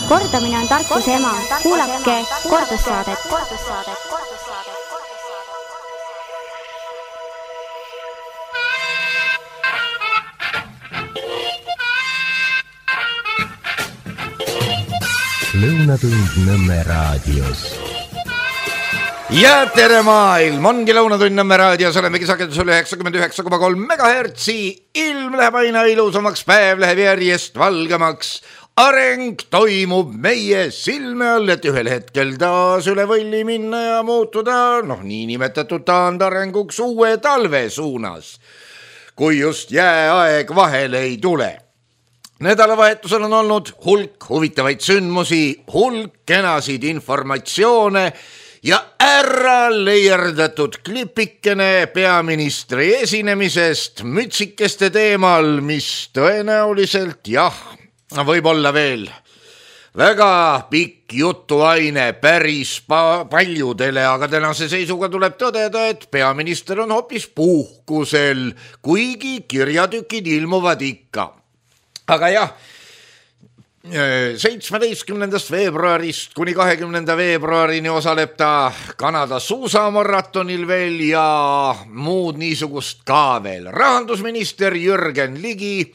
Kordamine on tarkuse ema. Kuulake kordussaadet. Lõunatund Nõmme raadios. Ja tere maailm, ongi Lõunatund Nõmme raadios, olemegi sagedusel 99,3 MHz. Ilm läheb aina ilusamaks, päev läheb järjest valgemaks. Areng toimub meie silme all, et ühel hetkel taas üle võlli minna ja muutuda, niinimetatud taandarenguks uue talve suunas, kui just jääaeg vahele ei tule. Nädalavahetusel on olnud hulk huvitavaid sündmusi, hulk kenasid informatsioone ja ära leierdatud klipikene peaministri esinemisest mütsikeste teemal, mis tõenäoliselt võib olla veel väga pikk jutuaine päris paljudele, aga tänase seisuga tuleb tõdeda, et peaminister on hoopis puhkusel, kuigi kirjatükid ilmuvad ikka. Aga 17. veebruarist kuni 20. veebruarini osaleb ta Kanada suusamaratonil veel ja muud niisugust ka veel. Rahandusminister Jürgen Ligi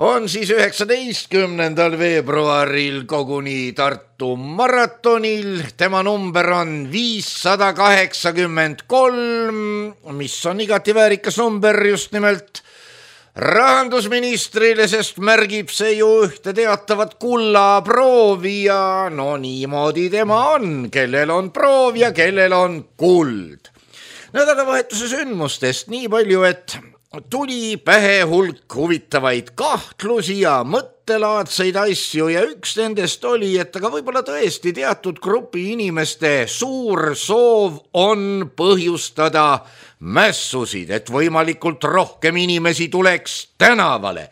on siis 19. veebruaril koguni Tartu maratonil. Tema number on 583, mis on igati väärikas number just nimelt rahandusministrile, sest märgib see ju ühte teatavat kullaproovi ja niimoodi tema on, kellel on proov ja kellel on kuld. Nädalavahetuse sündmustest nii palju, et tuli pähe hulk huvitavaid kahtlusi ja mõttelaadseid asju ja üks nendest oli, et aga võib-olla tõesti teatud grupi inimeste suur soov on põhjustada mässusid, et võimalikult rohkem inimesi tuleks tänavale,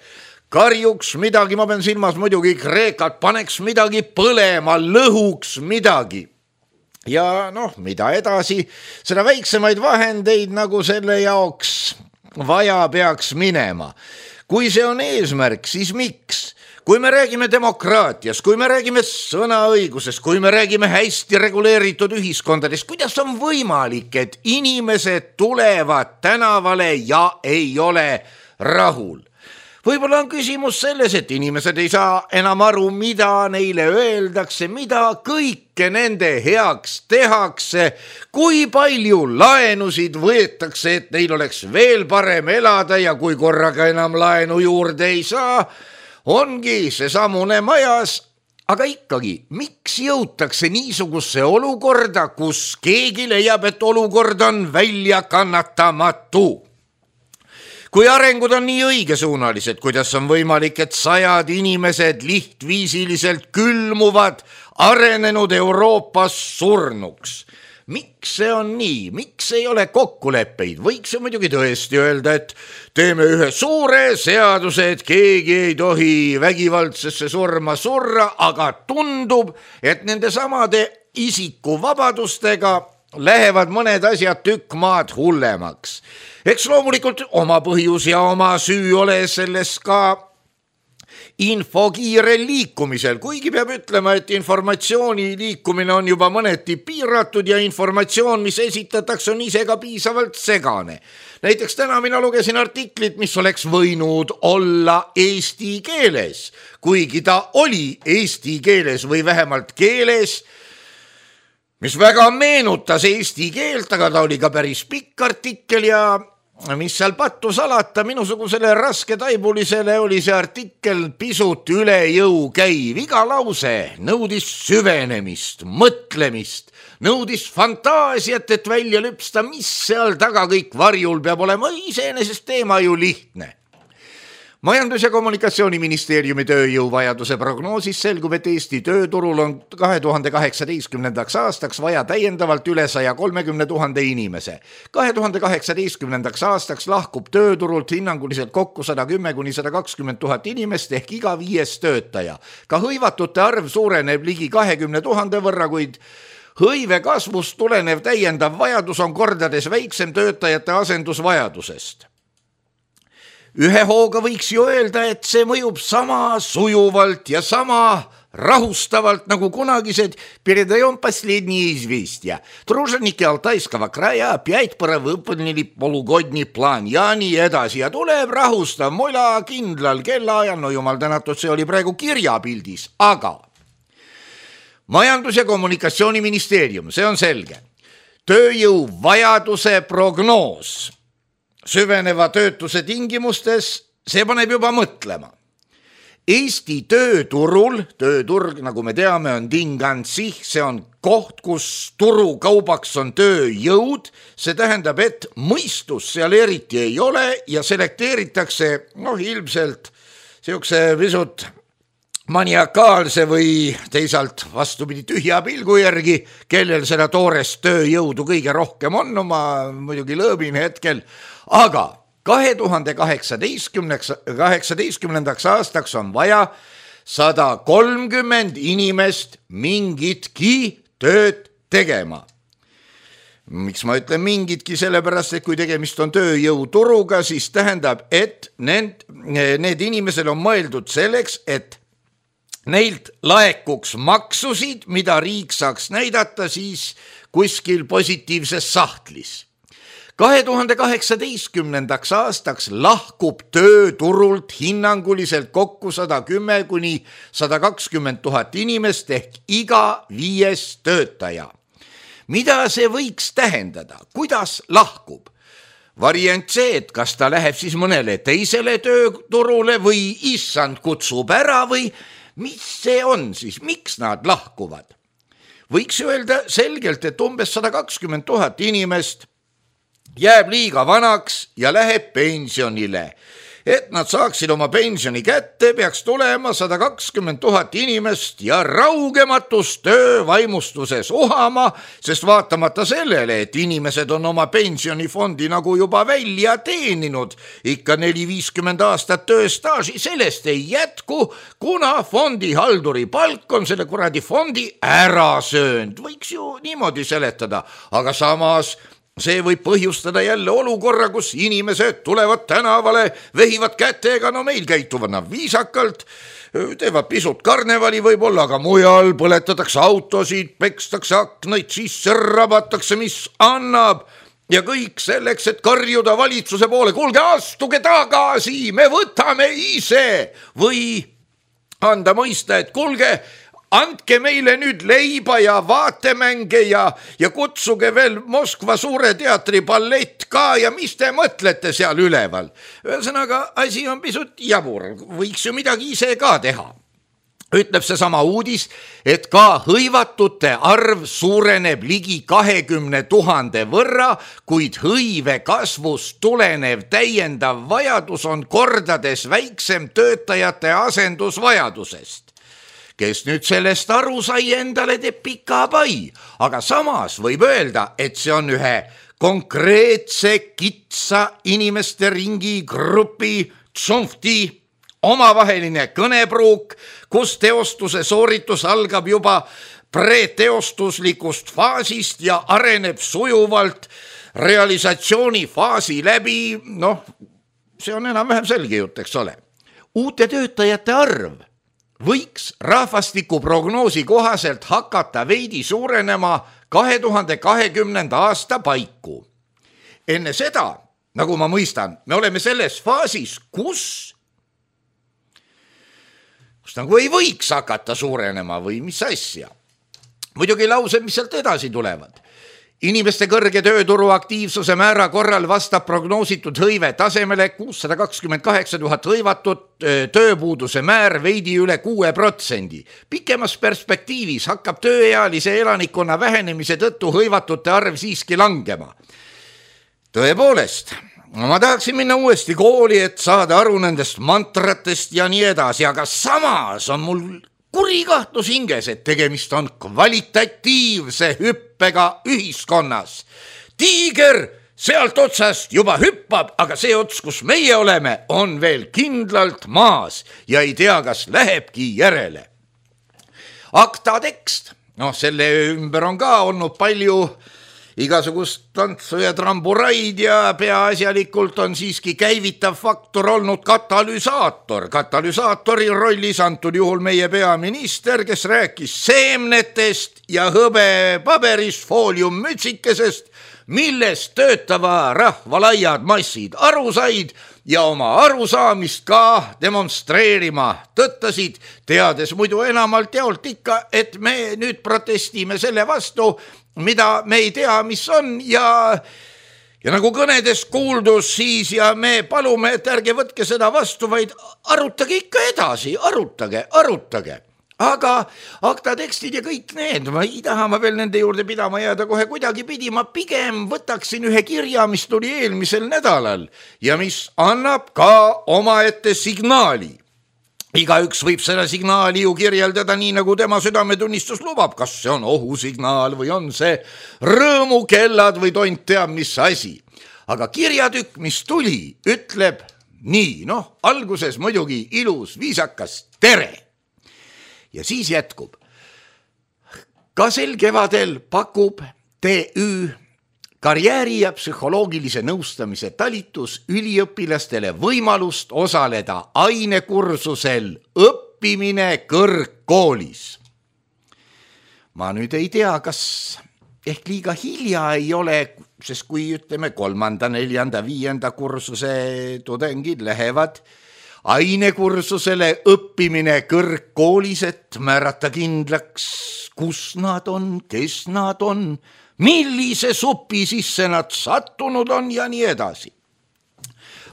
karjuks midagi, ma pean silmas muidugi Kreekat, paneks midagi põlema, lõhuks midagi. Ja mida edasi, seda väiksemaid vahendeid nagu selle jaoks vaja peaks minema. Kui see on eesmärk, siis miks? Kui me räägime demokraatias, kui me räägime sõnaõigusest, kui me räägime hästi reguleeritud ühiskondadest, kuidas on võimalik, et inimesed tulevad tänavale ja ei ole rahul? Võib-olla on küsimus selles, et inimesed ei saa enam aru, mida neile öeldakse, mida kõike nende heaks tehakse, kui palju laenusid võetakse, et neil oleks veel parem elada ja kui korraga enam laenu juurde ei saa, ongi see samune majas, aga ikkagi, miks jõutakse niisugusse olukorda, kus keegi leiab, et olukord on välja kannatamatu? Kui arengud on nii õigesuunalised, kuidas on võimalik, et 100 inimesed lihtviisiliselt külmuvad arenenud Euroopas surnuks? Miks see on nii? Miks ei ole kokkuleppeid? Võiks ju muidugi tõesti öelda, et teeme ühe suure seaduse, et keegi ei tohi vägivaldsesse surma surra, aga tundub, et nende samade isikuvabadustega lähevad mõned asjad tükk maad hullemaks. Eks loomulikult oma põhjus ja oma süü ole selles ka info kiirel liikumisel, kuigi peab ütlema, et informatsiooni liikumine on juba mõneti piiratud ja informatsioon, mis esitatakse, on ise ka piisavalt segane. Näiteks täna mina lugesin artiklit, mis oleks võinud olla eesti keeles, kuigi ta oli eesti keeles või vähemalt keeles, mis väga meenutas eesti keelt, aga ta oli ka päris pikk artikkel ja mis seal pattu salata, minusugusele raske taibulisele oli see artikkel pisut üle jõu käiv. Iga lause nõudis süvenemist, mõtlemist, nõudis fantaasiat, et välja lüpsta, mis seal taga kõik varjul peab olema. Iseenesest teema ju lihtne. Majandus- ja Kommunikatsiooniministeeriumi tööjõuvajaduse prognoosis selgub, et Eesti tööturul on 2018. aastaks vaja täiendavalt üle 130 000 inimese. 2018. aastaks lahkub tööturult hinnanguliselt kokku 110–120 000 inimest ehk iga 5. töötaja. Ka hõivatute arv suureneb ligi 20 000 võrra, kuid hõive kasvust tulenev täiendav vajadus on kordades väiksem töötajate asendusvajadusest. ühe hooga võiks ju öelda, et see mõjub sama sujuvalt ja sama rahustavalt, nagu kunagised передаем последние известия. Труженики Алтайского края опять выполнили полугодний план ja nii edasi ja tuleb rahustav mola kindlal kellaajal, no jumal tänatud, see oli praegu kirjapildis, aga Majandus- ja Kommunikatsiooniministeerium, see on selge, tööjõu vajaduse prognoos süveneva töötuse tingimustes, see paneb juba mõtlema. Eesti tööturg, nagu me teame, on dingansih, see on koht, kus turukaubaks on tööjõud, see tähendab, et mõistus seal eriti ei ole ja selekteeritakse ilmselt siukse pisut maniakaalse või teisalt vastupidi tühja pilgu järgi, kellel seda toorest tööjõudu kõige rohkem on, ma muidugi lõõbin hetkel, aga 2018 aastaks on vaja 130 inimest mingitki tööd tegema. Miks ma ütlen mingitki? Sellepärast, et kui tegemist on tööjõuturuga, siis tähendab, et need inimesed on mõeldud selleks, et neilt laekuks maksusid, mida riik saaks näidata siis kuskil positiivses sahtlis. 2018 aastaks lahkub tööturult hinnanguliselt kokku 110 kuni 120 000 inimest ehk iga 5. töötaja. Mida see võiks tähendada? Kuidas lahkub? Variant see, et kas ta läheb siis mõnele teisele tööturule või issand kutsub ära või mis see on siis? Miks nad lahkuvad? Võiks öelda selgelt, et umbes 120 000 inimest jääb liiga vanaks ja läheb pensionile. Et nad saaksid oma pensioni kätte, peaks tulema 120 000 inimest ja raugematus töövaimustuses uhama, sest vaatamata sellele, et inimesed on oma pensionifondi nagu juba välja teeninud, ikka 4-50 aastat tööstaaži, sellest ei jätku, kuna fondihalduri palk on selle kuradi fondi ära söönud. Võiks ju niimoodi seletada, aga samas see võib põhjustada jälle olukorra, kus inimesed tulevad tänavale, vehivad kätega, no meil käituvad nad viisakalt, teevad pisut karnevali võib-olla, aga mujal põletatakse autosid, pekstakse aknaid sisse, rabatakse, mis annab ja kõik selleks, et karjuda valitsuse poole, kuulge, astuge tagasi, me võtame ise või anda mõista, et kuulge, andke meile nüüd leiba ja vaatemänge ja kutsuge veel Moskva Suure teatri ballett ka ja mis te mõtlete seal üleval. Ühesõnaga, asi on pisut jabur, võiks ju midagi ise ka teha. Ütleb see sama uudis, et ka hõivatute arv suureneb ligi 20 000 võrra, kuid hõive kasvust tulenev täiendav vajadus on kordades väiksem töötajate asendusvajadusest. Kes nüüd sellest aru sai, endale teeb pika pai, aga samas võib öelda, et see on ühe konkreetse kitsa inimeste ringi grupi tšumfti omavaheline kõnepruuk, kus teostuse sooritus algab juba preteostuslikust faasist ja areneb sujuvalt realisatsiooni faasi läbi, see on enam-vähem selge jutt, eks ole. Uute töötajate arv võiks rahvastikuprognoosi kohaselt hakata veidi suurenema 2020. aasta paiku. Enne seda, nagu ma mõistan, me oleme selles faasis, kus nagu ei võiks hakata suurenema või mis asja. Muidugi laused, mis sealt edasi tulevad. Inimeste kõrge tööturu aktiivsuse määra korral vastab prognoositud hõive tasemele 628 000 hõivatut, tööpuuduse määr veidi üle 6%. Pikemas perspektiivis hakkab tööealise elanikkonna vähenemise tõttu hõivatute arv siiski langema. Tõepoolest, ma tahaksin minna uuesti kooli, et saada aru nendest mantratest ja nii edasi, aga samas on mul kuri kahtlus hinges, et tegemist on kvalitatiivse hüppega ühiskonnas. Tiiger sealt otsast juba hüppab, aga see ots, kus meie oleme, on veel kindlalt maas ja ei tea, kas lähebki järele. Akta tekst, selle ümber on ka olnud palju igasugust tantsu ja tramburaid ja peaasjalikult on siiski käivitav faktor olnud katalüsaator. Katalüsaatori rollis antud juhul meie peaminister, kes rääkis seemnetest ja hõbepaberist fooliummütsikesest, millest töötava rahva laiad massid aru said ja oma arusaamist ka demonstreerima tõttasid, teades muidu enamalt jaolt ikka, et me nüüd protestime selle vastu, mida me ei tea, mis on ja nagu kõnedes kuuldus siis ja me palume, et ärge võtke seda vastu, vaid arutage ikka edasi, arutage. Aga akta tekstid ja kõik need, ma ei taha veel nende juurde pidama jääda kohe kuidagi pidi, ma pigem võtaksin ühe kirja, mis tuli eelmisel nädalal ja mis annab ka omaette signaali. Igaüks võib seda signaali ju kirjeldada nii, nagu tema südametunnistus lubab, kas see on ohusignaal või on see rõõmukellad või tont teab mis asi. Aga kirjatükk, mis tuli, ütleb nii, alguses muidugi ilus, viisakas tere. Ja siis jätkub. Ka sel kevadel pakub TÜ karjääri ja psühholoogilise nõustamise talitus üliõpilastele võimalust osaleda ainekursusel õppimine kõrgkoolis. Ma nüüd ei tea, kas ehk liiga hilja ei ole, sest kui ütleme 3., 4., 5. kursuse tudengid lähevad ainekursusele õppimine kõrgkoolis, et määrata kindlaks, kus nad on, kes nad on, millise supi sisse nad sattunud on ja nii edasi.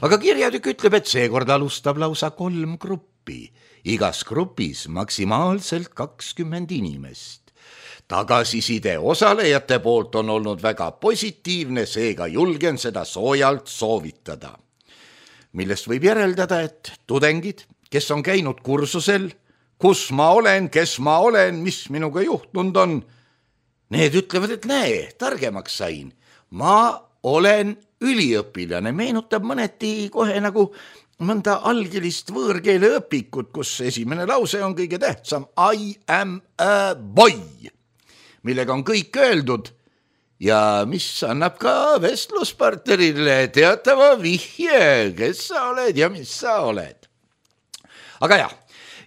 Aga kirjatükk ütleb, et seekord alustab lausa 3 gruppi, igas grupis maksimaalselt 20 inimest. Tagasiside osalejate poolt on olnud väga positiivne, seega julgen seda soojalt soovitada. Millest võib järeldada, et tudengid, kes on käinud kursusel, kus ma olen, kes ma olen, mis minuga juhtunud on, need ütlevad, et näe, targemaks sain. Ma olen üliõpilane, meenutab mõneti kohe nagu mõnda algelist võõrkeele õpikut, kus esimene lause on kõige tähtsam. I am a boy, millega on kõik öeldud ja mis annab ka vestluspartnerile teatava vihje, kes sa oled ja mis sa oled. Aga jah,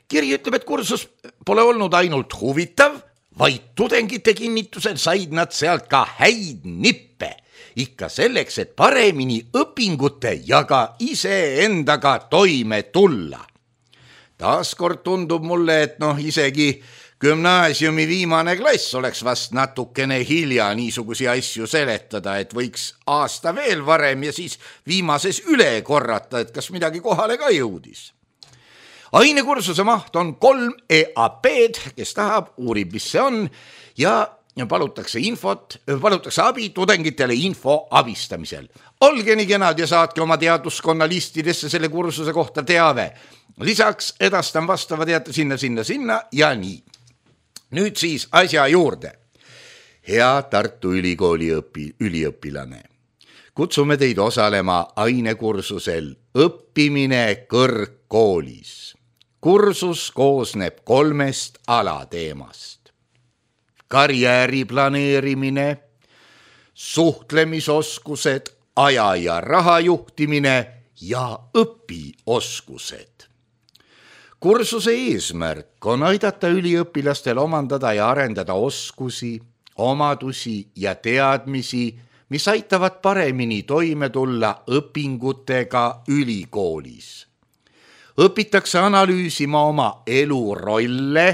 kiri ütleb, et kursus pole olnud ainult huvitav, vaid tudengite kinnitusel said nad sealt ka häid nippe, ikka selleks, et paremini õpingute ja ka iseendaga toime tulla. Taaskord tundub mulle, et isegi gümnaasiumi viimane klass oleks vast natukene hilja niisugusi asju seletada, et võiks aasta veel varem ja siis viimases üle korrata, et kas midagi kohale ka jõudis. Ainekursuse maht on 3 EAP-d, kes tahab, uurib, mis see on ja palutakse abi tudengitele info abistamisel. Olge nii kenad ja saatke oma teaduskonna listidesse selle kursuse kohta teave. Lisaks edastan vastava teate sinna ja nii. Nüüd siis asja juurde. Hea Tartu Ülikooli üliõpilane. Kutsume teid osalema ainekursusel õppimine kõrgkoolis. Kursus koosneb 3 alateemast. Karjääri planeerimine, suhtlemisoskused, aja ja raha juhtimine ja õpioskused. Kursuse eesmärk on aidata üliõpilastel omandada ja arendada oskusi, omadusi ja teadmisi, mis aitavad paremini toime tulla õpingutega ülikoolis. Õpitakse analüüsima oma elurolle,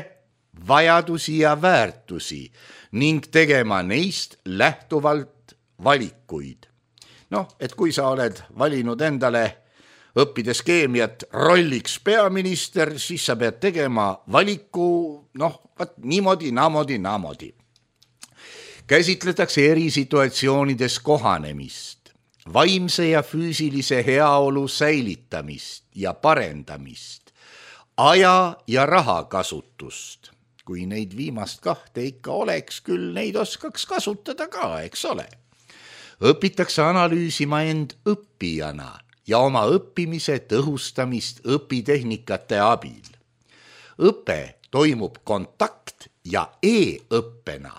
vajadusi ja väärtusi ning tegema neist lähtuvalt valikuid. Et kui sa oled valinud endale õppides keemiat rolliks peaminister, siis sa pead tegema valiku, niimoodi. Käsitletakse eri situatsioonides kohanemist, vaimse ja füüsilise heaolu säilitamist ja parendamist, aja ja raha kasutust. Kui neid viimast 2 ikka oleks, küll neid oskaks kasutada ka, eks ole. Õpitakse analüüsima end õppijana ja oma õppimise tõhustamist õpitehnikate abil. Õpe toimub kontakt- ja e-õppena.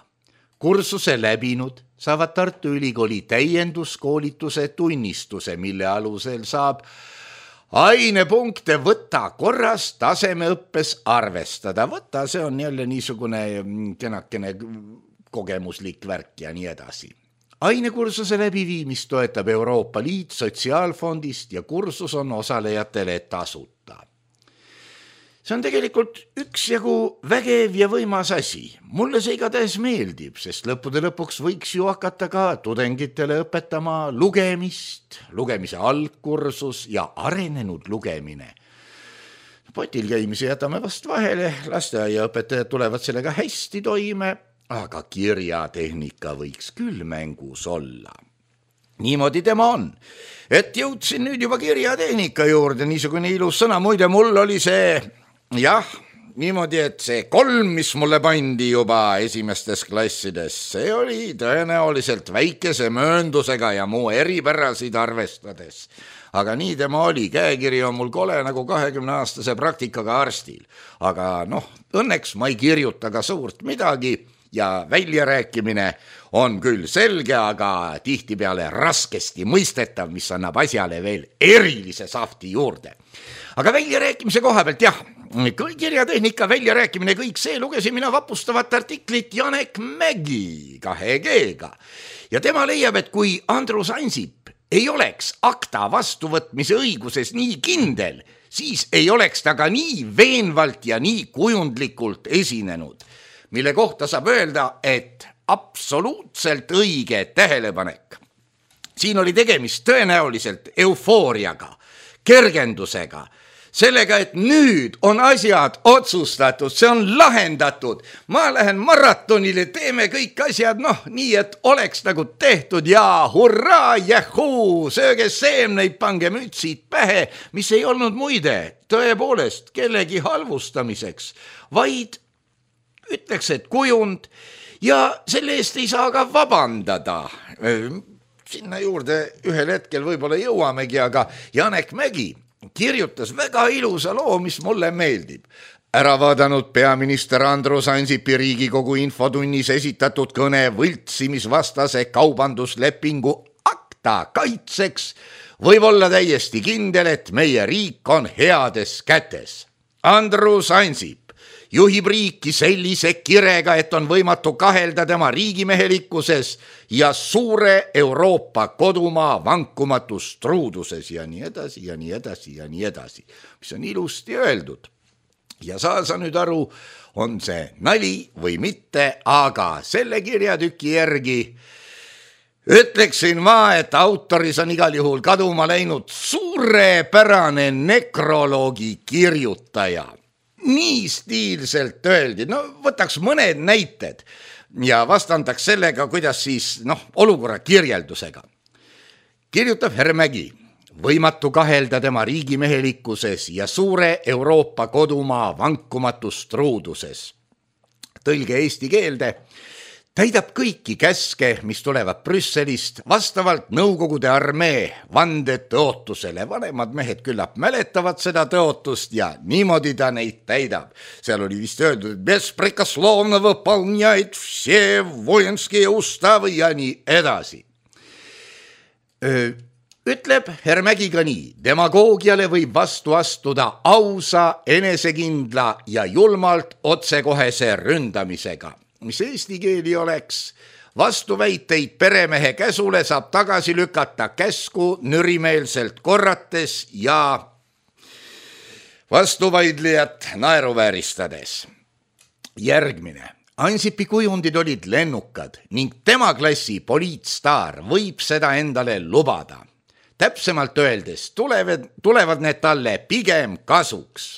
Kursuse läbinud saavad Tartu Ülikooli täienduskoolituse tunnistuse, mille alusel saab ainepunkte võtta korras tasemeõppes arvestada. Võtta, see on jälle niisugune kenakene kogemuslik värk ja nii edasi. Ainekursuse läbiviimist toetab Euroopa Liit Sotsiaalfondist ja kursus on osalejatele tasuta. See on tegelikult üksjagu vägev ja võimas asi. Mulle see igatahes meeldib, sest lõppude lõpuks võiks ju hakata ka tudengitele õpetama lugemist, lugemise algkursus ja arenenud lugemine. Potil käimise jätame vast vahele, lasteaiaõpetajad tulevad sellega hästi toime, aga kirjatehnika võiks küll mängus olla. Niimoodi tema on, et jõudsin nüüd juba kirjatehnika juurde, niisugune ilus sõna, muide mul oli see... Jah, niimoodi, et see 3, mis mulle pandi juba esimestes klassides, see oli tõenäoliselt väikese mööndusega ja muu eripärasid arvestades. Aga nii tema oli, käekiri on mul kole nagu 20-aastase praktikaga arstil. Aga õnneks ma ei kirjuta ka suurt midagi ja väljarääkimine on küll selge, aga tihtipeale raskesti mõistetav, mis annab asjale veel erilise safti juurde. Aga väljarääkimise koha pealt jah, kirjatehnika väljarääkimine, kõik see lugesin mina vapustavat artiklit Janek Mägi 2G-ga. Ja tema leiab, et kui Andrus Ansip ei oleks akta vastuvõtmise õiguses nii kindel, siis ei oleks ta ka nii veenvalt ja nii kujundlikult esinenud, mille kohta saab öelda, et absoluutselt õige tähelepanek. Siin oli tegemist tõenäoliselt eufooriaga, kergendusega, sellega, et nüüd on asjad otsustatud, see on lahendatud. Ma lähen maratonile, teeme kõik asjad, nii, et oleks nagu tehtud ja hurraa, jähuu, sööge seemneid, pange mütsid pähe, mis ei olnud muide tõepoolest kellegi halvustamiseks, vaid ütleks, et kujund ja selle eest ei saa ka vabandada. Sinna juurde ühel hetkel võib-olla jõuamegi, aga Janek Mägi kirjutas väga ilusa loo, mis mulle meeldib. Ära vaadanud peaminister Andrus Ansipi Riigikogu infotunnis esitatud kõne võltsimisvastase kaubanduslepingu akta kaitseks, võib olla täiesti kindel, et meie riik on heades kätes. Andrus Ansip juhib riiki sellise kirega, et on võimatu kahelda tema riigimehelikkuses ja suure Euroopa kodumaa vankumatus truuduses ja nii edasi ja nii edasi ja nii edasi, mis on ilusti öeldud. Ja saa sa nüüd aru, on see nali või mitte, aga selle kirjatüki järgi ütleksin ma, et autoris on igal juhul kaduma läinud suurepärane nekroloogi kirjutaja. Nii stiilselt öeldi, võtaks mõned näited ja vastandaks sellega, kuidas siis, olukorra kirjeldusega. Kirjutab härra Mägi, võimatu kahelda tema riigimehelikkuses ja suure Euroopa kodumaa vankumatus truuduses. Tõlge eesti keelde, täidab kõiki käske, mis tulevad Brüsselist vastavalt Nõukogude armee vandetõotusele. Vanemad mehed küllap mäletavad seda tõotust ja niimoodi ta neid täidab. Seal oli vist öeldud, et besprekoslovno võpalnjaid vse vojenski ustav ja nii edasi. Ütleb härra Mägi ka nii, demagoogiale võib vastu astuda ausa, enesekindla ja julmalt otsekohese ründamisega. Mis eesti keeli oleks, vastuväiteid peremehe käsule saab tagasi lükata käsku nürimeelselt korrates ja vastuvaidlijat naeruvääristades. Järgmine. Ansipi kujundid olid lennukad ning tema klassi poliitstaar võib seda endale lubada. Täpsemalt öeldes tulevad need talle pigem kasuks.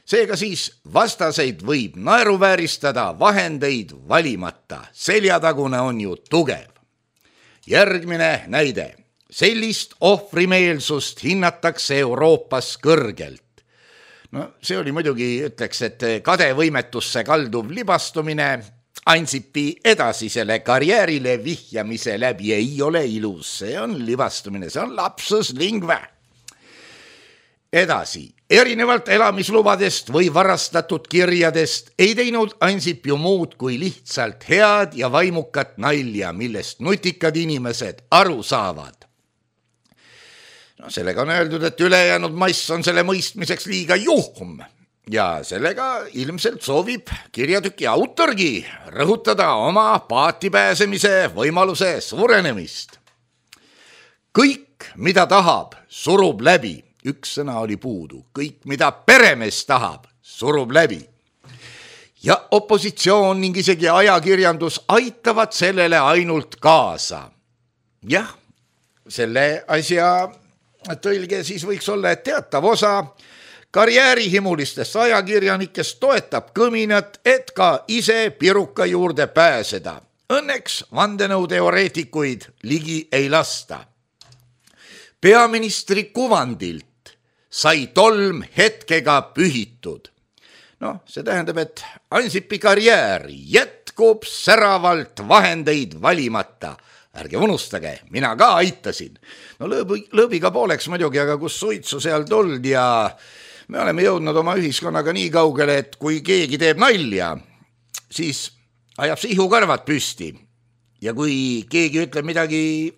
Seega siis vastaseid võib naeruvääristada vahendeid valimata. Seljatagune on ju tugev. Järgmine näide. Sellist ohvrimeelsust hinnatakse Euroopas kõrgelt. See oli muidugi, ütleks, et kadevõimetusse kalduv libastumine Ansipi edasisele karjäärile vihjamise läbi ei ole ilus. See on libastumine, see on lapsus lingve. Edasi. Erinevalt elamislubadest või varastatud kirjadest ei teinud Ansip ju muud kui lihtsalt head ja vaimukat nalja, millest nutikad inimesed aru saavad. No, sellega on öeldud, et ülejäänud mass on selle mõistmiseks liiga juhm ja sellega ilmselt soovib kirjatüki autorgi rõhutada oma paati pääsemise võimaluse suurenemist. Kõik, mida tahab, surub läbi. Üks sõna oli puudu. Kõik, mida peremees tahab, surub läbi. Ja opositsioon ning isegi ajakirjandus aitavad sellele ainult kaasa. Jah, selle asja tõlge siis võiks olla, et teatav osa karjäärihimulistest ajakirjanikest toetab kõminat, et ka ise piruka juurde pääseda. Õnneks vandenõuteoreetikuid ligi ei lasta. Peaministri kuvandilt sai tolm hetkega pühitud. No, see tähendab, et Ansipi karjäär jätkub säravalt vahendeid valimata. Ärge unustage, mina ka aitasin. No lõõbiga pooleks muidugi, aga kus suitsu seal tuld ja me oleme jõudnud oma ühiskonnaga nii kaugele, et kui keegi teeb nalja, siis ajab sihu karvad püsti. Ja kui keegi ütleb midagi,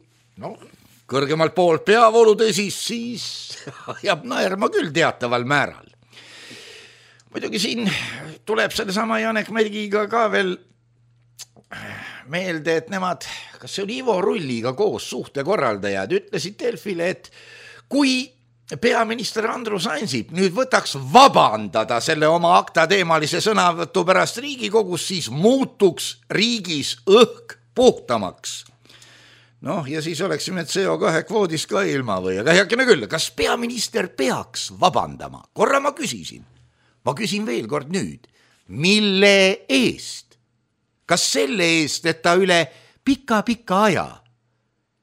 kõrgemalt poolt peavoolutõsis, siis ajab naerma küll teataval määral. Muidugi siin tuleb sellesama Janek Mägiga ka veel meelde, et nemad, kas see oli Ivo Rulliga koos suhtekorraldajad, ütlesid Delfile, et kui peaminister Andrus Ansip nüüd võtaks vabandada selle oma aktateemalise sõnavõtu pärast Riigikogus, siis muutuks riigis õhk puhtamaks. Ja siis oleksime CO2 kvoodist ka ilma või, aga heakene küll, kas peaminister peaks vabandama? Korra ma küsisin. Ma küsin veel kord nüüd. Mille eest? Kas selle eest, et ta üle pika aja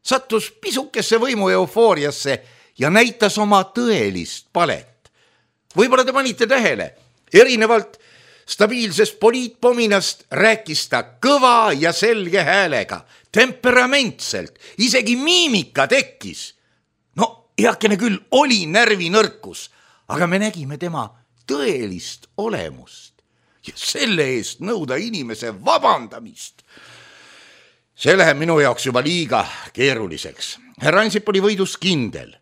sattus pisukesse võimu eufooriasse ja näitas oma tõelist palet? Võib-olla te panite tähele, erinevalt stabiilsest poliitpominast rääkis ta kõva ja selge häälega, temperamentselt, isegi miimika tekkis. Heakene küll oli närvinõrkus, aga me nägime tema tõelist olemust ja selle eest nõuda inimese vabandamist. See läheb minu jaoks juba liiga keeruliseks. Härra Ansip oli võidus kindel.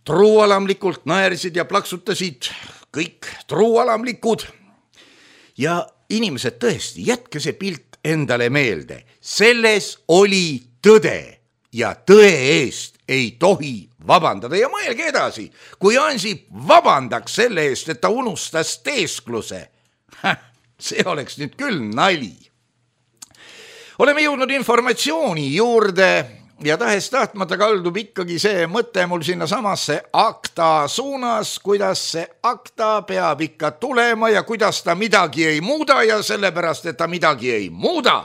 Truualamlikult naersid ja plaksutasid kõik truualamlikud. Ja inimesed tõesti, jätke see pilt endale meelde. Selles oli tõde ja tõe eest ei tohi vabandada. Ja mõelge edasi, kui Ansip vabandaks selle eest, et ta unustas teeskluse. See oleks nüüd küll nali. Oleme jõudnud informatsiooni juurde ja tahes tahtmata kaldub ikkagi see mõte mul sinna samasse akta suunas, kuidas see akta peab ikka tulema ja kuidas ta midagi ei muuda ja sellepärast, et ta midagi ei muuda,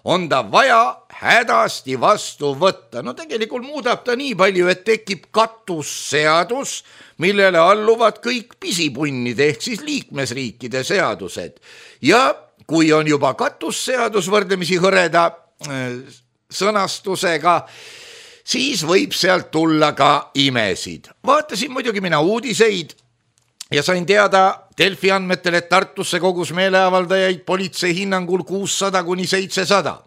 on ta vaja hädasti vastu võtta. Tegelikult muudab ta nii palju, et tekib katusseadus, millele alluvad kõik pisipunnide ehk siis liikmesriikide seadused. Ja kui on juba katusseadus võrdlemisi hõreda sõnastusega, siis võib sealt tulla ka imesid. Vaatasin muidugi mina uudiseid ja sain teada Delfi andmetel, et Tartusse kogus meeleavaldajaid politsei hinnangul 600–700.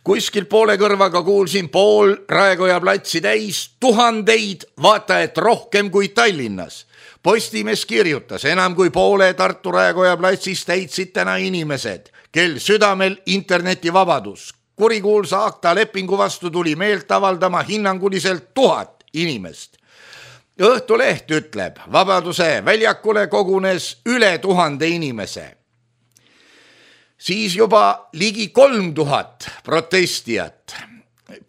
Kuskil poole kõrvaga kuulsin pool Raekoja platsi täis tuhandeid, vaata et rohkem kui Tallinnas. Postimees kirjutas, enam kui poole Tartu Raekoja platsis täitsid täna inimesed, kel südamel internetivabadus. Kurikuulsa akta lepingu vastu tuli meelt avaldama hinnanguliselt 1000 inimest. Õhtuleht ütleb, Vabaduse väljakule kogunes üle 1000 inimese. Siis juba ligi 3000 protestijat.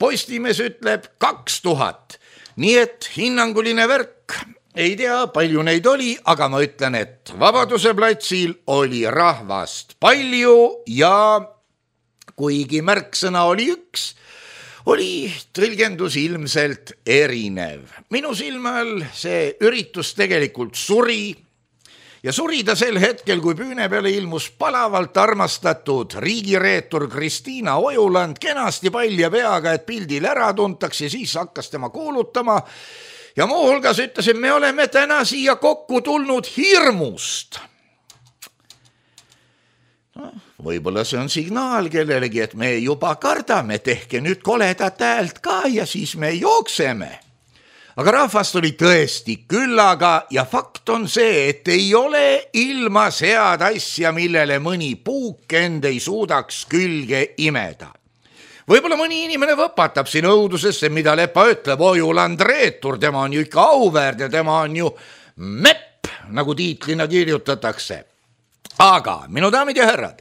Postimees ütleb 2000. Nii et hinnanguline värk, ei tea, palju neid oli, aga ma ütlen, et Vabaduse platsil oli rahvast palju ja kuigi märksõna oli üks, oli tõlgendus ilmselt erinev. Minu silma all see üritus tegelikult suri ja suri ta sel hetkel, kui püüne peale ilmus palavalt armastatud riigireetur Kristiina Ojuland kenasti palja peaga, et pildil ära tuntakse, siis hakkas tema kuulutama ja muuhulgas ütlesin, me oleme täna siia kokku tulnud hirmust. No, võib-olla see on signaal kellelegi, et me juba kardame, tehke nüüd koledat häält ka ja siis me jookseme. Aga rahvast oli tõesti küllaga ja fakt on see, et ei ole ilmas head asja, millele mõni puuk end ei suudaks külge imeda. Võib-olla mõni inimene võpatab siin õudusesse, mida Lepa ütleb, Ojuland reetur, tema on ju ikka auväärt ja tema on ju mepp, nagu tiitlina kirjutatakse. Aga, minu daamid ja härrad,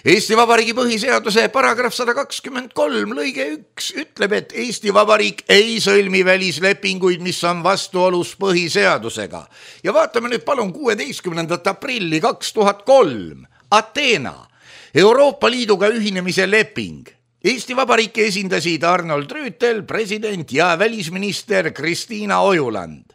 Eesti Vabariigi põhiseaduse paragrahv 123 lõige 1 ütleb, et Eesti Vabariik ei sõlmi välislepinguid, mis on vastuolus põhiseadusega. Ja vaatame nüüd palun 16. aprilli 2003. Ateena, Euroopa Liiduga ühinemise leping. Eesti Vabariiki esindasid Arnold Rüütel, president ja välisminister Kristiina Ojuland.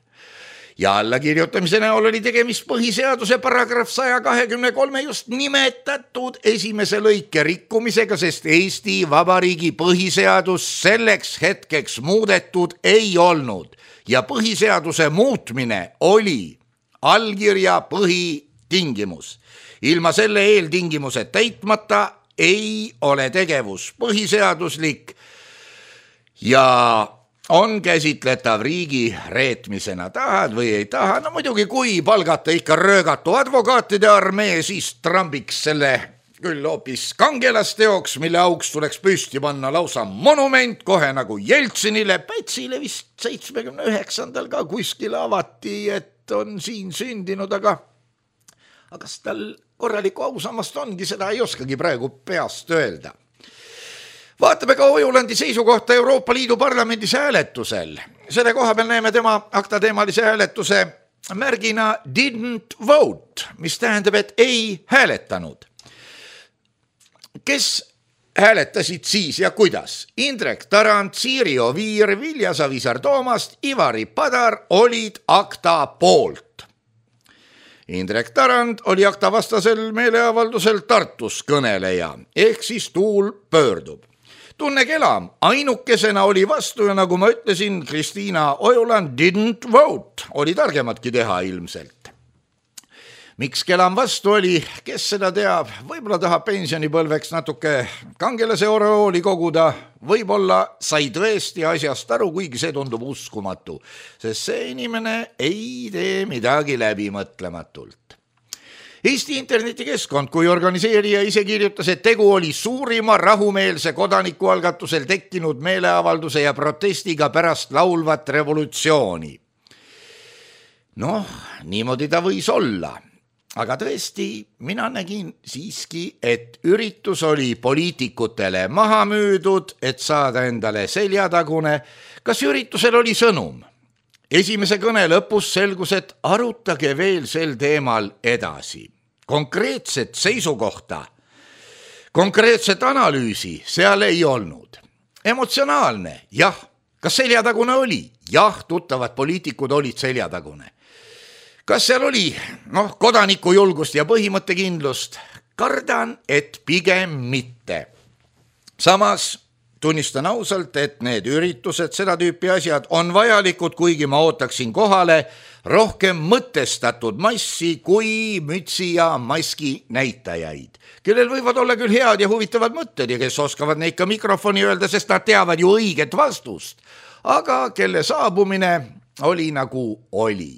Ja allakirjutamise näol oli tegemist põhiseaduse paragrahv 123 just nimetatud esimese lõike rikkumisega, sest Eesti Vabariigi põhiseadus selleks hetkeks muudetud ei olnud ja põhiseaduse muutmine oli allkirja põhitingimus. Ilma selle eeltingimuse täitmata ei ole tegevus põhiseaduslik ja on käsitletav riigi reetmisena, tahad või ei taha. No muidugi, kui palgata ikka röögatu advokaatide armee, siis trambiks selle küll hoopis kangelasteoks, mille auks tuleks püsti panna lausa monument, kohe nagu Jeltsinile. Pätsile vist 79. ka kuskil avati, et on siin sündinud, aga kas tal korralikku ausammast ongi, seda ei oskagi praegu peast öelda. Vaatame ka Ojulandi seisukohta Euroopa Liidu parlamendis hääletusel. Selle koha peal näeme tema aktateemalise hääletuse märgina didn't vote, mis tähendab, et ei hääletanud. Kes hääletasid siis ja kuidas? Indrek Tarand, Siiri Oviir, Vilja Savisaar-Toomast, Ivari Padar olid akta poolt. Indrek Tarand oli akta vastasel meeleavaldusel Tartus kõneleja, ehk siis tuul pöördub. Tunne Kelam ainukesena oli vastu ja nagu ma ütlesin, Kristiina Ojuland didn't vote, oli targematki teha ilmselt. Miks Kelam vastu oli, kes seda teab, võib-olla tahab pensionipõlveks natuke kangelase oreooli koguda, võib-olla sai tõesti asjast aru, kuigi see tundub uskumatu, sest see inimene ei tee midagi läbimõtlematult. Eesti internetikeskkond kui organiseerija ise kirjutas, et tegu oli suurima rahumeelse kodanikualgatusel tekkinud meeleavalduse ja protestiga pärast laulvat revolutsiooni. Noh, niimoodi ta võis olla. Aga tõesti, mina nägin siiski, et üritus oli poliitikutele maha müüdud, et saada endale seljatagune. Kas üritusel oli sõnum? Esimese kõne lõpus selgus, et arutage veel sel teemal edasi. Konkreetset seisukohta, konkreetset analüüsi seal ei olnud. Emotsionaalne, jah. Kas seljatagune oli? Jah, tuttavad poliitikud olid seljatagune. Kas seal oli kodanikujulgust ja põhimõttekindlust? Kardan, et pigem mitte. Samas tunnistan ausalt, et need üritused, seda tüüpi asjad on vajalikud, kuigi ma ootaksin kohale rohkem mõtestatud massi kui mütsi ja maski näitajaid, kellel võivad olla küll head ja huvitavad mõtted ja kes oskavad neid ka mikrofoni öelda, sest nad teavad ju õiget vastust, aga kelle saabumine oli nagu oli.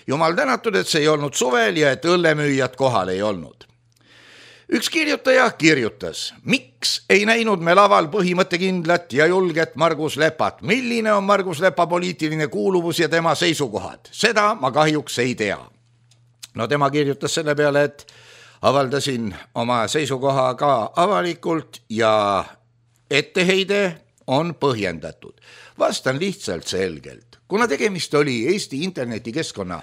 Jumal tänatud, et see ei olnud suvel ja et õllemüüjad kohal ei olnud. Üks kirjutaja kirjutas, miks ei näinud me laval põhimõttekindlat ja julget Margus Lepat? Milline on Margus Lepa poliitiline kuuluvus ja tema seisukohad? Seda ma kahjuks ei tea. No tema kirjutas selle peale, et avaldasin oma seisukoha ka avalikult ja etteheide on põhjendatud. Vastan lihtsalt selgelt. Kuna tegemist oli Eesti internetikeskkonna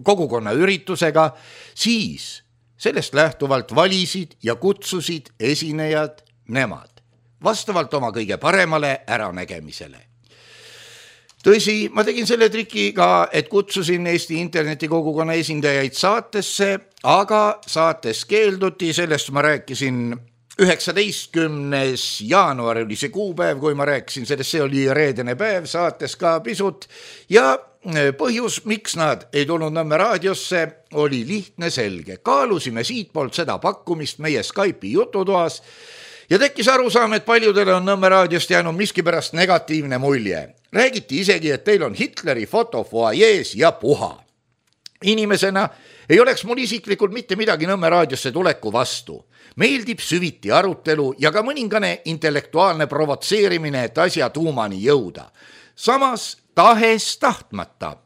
kogukonna üritusega, siis sellest lähtuvalt valisid ja kutsusid esinejad nemad, vastavalt oma kõige paremale äranägemisele. Tõsi, ma tegin selle triki ka, et kutsusin Eesti internetikogukonna esindajaid saatesse, aga saates keelduti, sellest ma rääkisin 19. jaanuar oli see kuupäev, kui ma rääkisin sellest, see oli reedene päev, saates ka pisut ja põhjus, miks nad ei tulnud Nõmme raadiosse, oli lihtne selge. Kaalusime siitpoolt seda pakkumist meie Skype'i jututoas ja tekkis arusaam, et paljudele on Nõmme raadiost jäänud miskipärast negatiivne mulje. Räägiti isegi, et teil on Hitleri foto fuajees ja puha. Inimesena ei oleks mul isiklikult mitte midagi Nõmme raadiosse tuleku vastu. Meeldib süviti arutelu ja ka mõningane intellektuaalne provotseerimine, et asja tuumani jõuda. Samas tahes tahtmata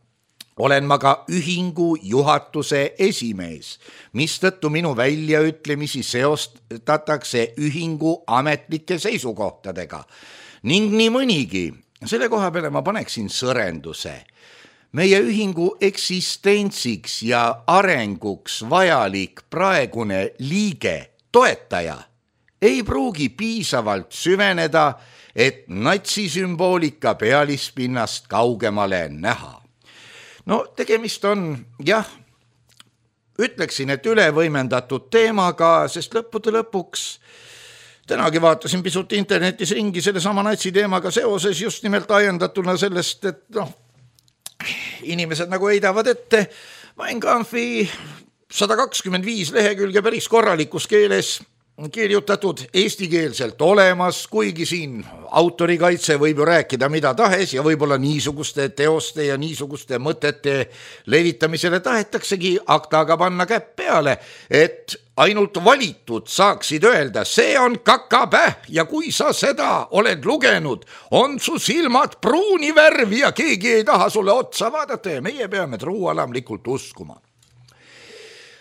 olen ma ka ühingu juhatuse esimees, mistõttu minu väljaütlemisi seostatakse ühingu ametlike seisukohtadega. Ning nii mõnigi, selle koha peale ma paneksin sõrenduse. Meie ühingu eksistentsiks ja arenguks vajalik praegune liige, toetaja, ei pruugi piisavalt süveneda, et natsisümboolika pealispinnast kaugemale näha. No tegemist on, ütleksin, et ülevõimendatud teemaga, sest lõppude lõpuks tänagi vaatasin pisut internetis ringi selle sama natsiteemaga seoses just nimelt ajendatuna sellest, et inimesed nagu heidavad ette Mein Kampfi 125 lehekülge päris korralikus keeles kirjutatud eestikeelselt olemas, kuigi siin autorikaitse võib ju rääkida mida tahes ja võib-olla niisuguste teoste ja niisuguste mõtete levitamisele tahetaksegi aktaga panna käpp peale, et ainult valitud saaksid öelda, see on kakapäh ja kui sa seda oled lugenud, on su silmad pruuni värvi ja keegi ei taha sulle otsa vaadata ja meie peame truualamlikult uskuma.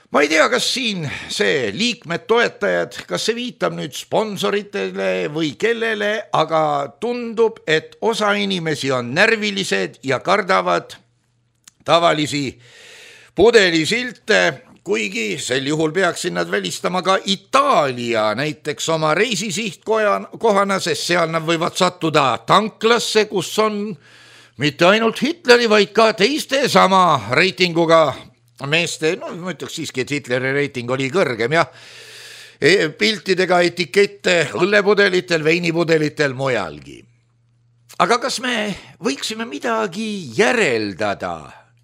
Ma ei tea, kas siin see liikmed, toetajad, kas see viitab nüüd sponsoritele või kellele, aga tundub, et osa inimesi on närvilised ja kardavad tavalisi pudelisilte, kuigi sel juhul peaksin nad välistama ka Itaalia näiteks oma reisisihtkohana, sest seal nad võivad sattuda tanklasse, kus on mitte ainult Hitleri, vaid ka teiste sama reitinguga meeste, ma ütleks siiski, et Hitleri reiting oli kõrgem, piltidega etikette õllepudelitel, veinipudelitel, mujalgi. Aga kas me võiksime midagi järeldada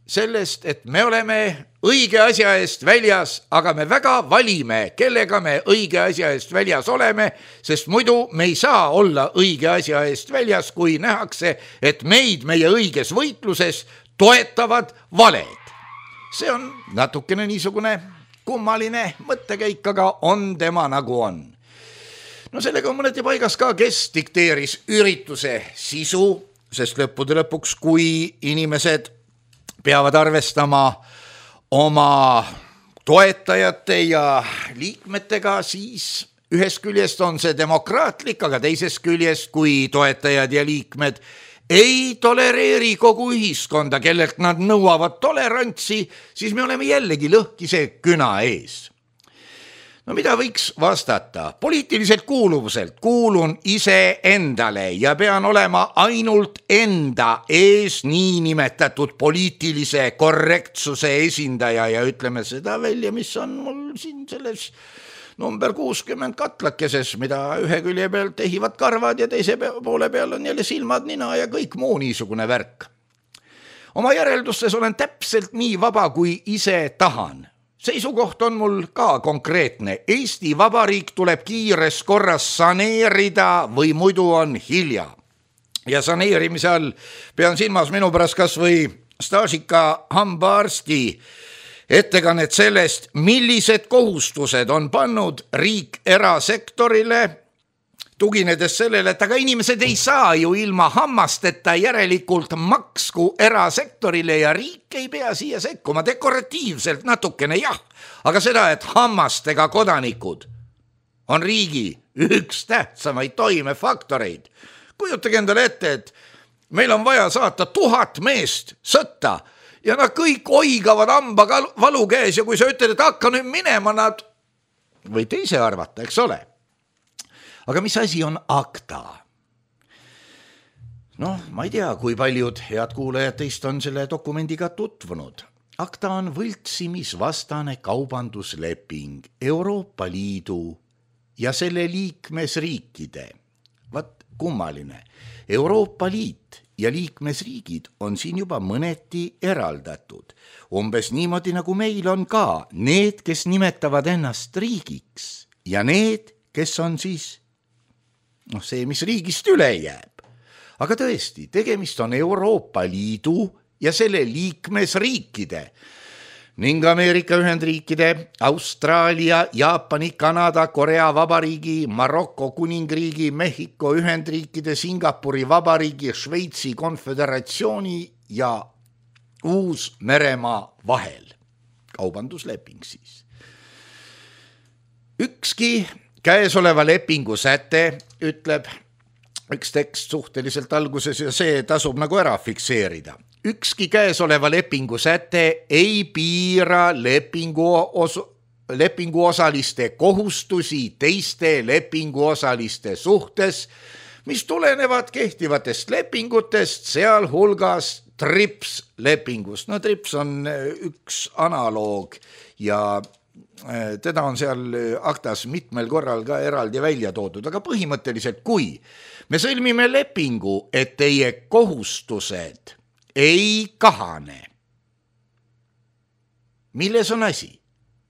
sellest, et me oleme õige asja eest väljas, aga me väga valime, kellega me õige asja eest väljas oleme, sest muidu me ei saa olla õige asja eest väljas, kui nähakse, et meid meie õiges võitluses toetavad valed. See on natukene niisugune kummaline mõttekäik, aga on tema nagu on. No sellega on mõneti paigas ka, kes dikteeris ürituse sisu, sest lõppude lõpuks, kui inimesed peavad arvestama oma toetajate ja liikmetega, siis ühest küljest on see demokraatlik, aga teisest küljest, kui toetajad ja liikmed ei tolereeri kogu ühiskonda, kellelt nad nõuavad tolerantsi, siis me oleme jällegi lõhkise küna ees. No mida võiks vastata? Poliitiliselt kuuluvuselt kuulun ise endale ja pean olema ainult enda ees niinimetatud poliitilise korrektsuse esindaja ja ütleme seda välja, mis on mul siin selles number 60 katlakeses, mida ühe külje pealt tehivad karvad ja teise poole peal on jälle silmad, nina ja kõik muu niisugune värk. Oma järeldustes olen täpselt nii vaba, kui ise tahan. Seisukoht on mul ka konkreetne. Eesti Vabariik tuleb kiires korras saneerida või muidu on hilja. Ja saneerimise all pean silmas minu pärast kas või staažika hambaarsti ettekannet sellest, millised kohustused on pannud riik erasektorile, tuginedes sellele, et aga inimesed ei saa ju ilma hammasteta, järelikult maksku erasektorile ja riik ei pea siia sekkuma dekoratiivselt natukene, aga seda, et hammastega kodanikud on riigi üks tähtsamaid toimefaktoreid. Kujutage endale ette, et meil on vaja saata 1000 meest sõtta, ja nad kõik oigavad hamba valu käes ja kui sa ütled, et hakka nüüd minema, nad võite ise arvata, eks ole. Aga mis asi on akta? Ma ei tea, kui paljud head kuulajad teist on selle dokumendiga tutvunud. Akta on võltsimisvastane kaubandusleping Euroopa Liidu ja selle liikmesriikide. Vat kummaline. Euroopa Liit ja liikmesriigid on siin juba mõneti eraldatud. Umbes niimoodi nagu meil on ka need, kes nimetavad ennast riigiks ja need, kes on siis see, mis riigist üle jääb. Aga tõesti, tegemist on Euroopa Liidu ja selle liikmesriikide ning Ameerika Ühendriikide, Austraalia, Jaapani, Kanada, Korea Vabariigi, Maroko Kuningriigi, Mehhiko Ühendriikide, Singapuri Vabariigi, Šveitsi Konföderatsiooni ja Uus-Meremaa vahel. Kaubandusleping siis. Ükski käesoleva lepingu säte ütleb üks tekst suhteliselt alguses ja see tasub nagu ära fikseerida. Ükski käesoleva lepingu säte ei piira lepinguosaliste kohustusi teiste lepinguosaliste suhtes, mis tulenevad kehtivatest lepingutest, sealhulgas TRIPS lepingust. No TRIPS on üks analoog ja teda on seal aktas mitmel korral ka eraldi välja toodud, aga põhimõtteliselt kui me sõlmime lepingu, et teie kohustused ei kahane. Milles on asi?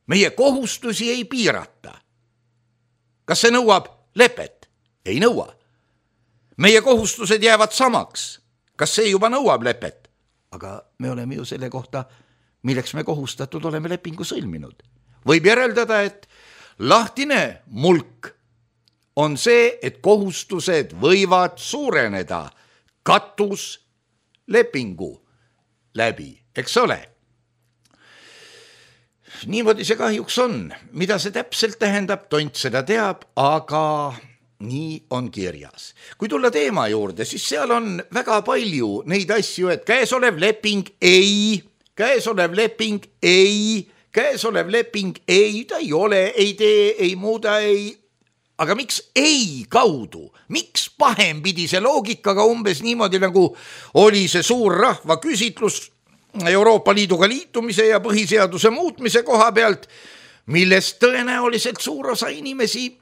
Meie kohustusi ei piirata. Kas see nõuab lepet? Ei nõua. Meie kohustused jäävad samaks. Kas see juba nõuab lepet? Aga me oleme ju selle kohta, milleks me kohustatud oleme lepingu sõlminud. Võib järeldada, et lahtine mulk on see, et kohustused võivad suureneda katus lepingu läbi, eks ole. Niimoodi see kahjuks on. Mida see täpselt tähendab, tont seda teab, aga nii on kirjas. Kui tulla teema juurde, siis seal on väga palju neid asju, et käesolev leping ei, ta ei ole, ei tee, ei muuda, ei. Aga miks ei kaudu? Miks pahempidi see loogikaga umbes niimoodi, nagu oli see suur rahva küsitlus Euroopa Liiduga liitumise ja põhiseaduse muutmise koha pealt, millest tõenäoliselt suur osa inimesi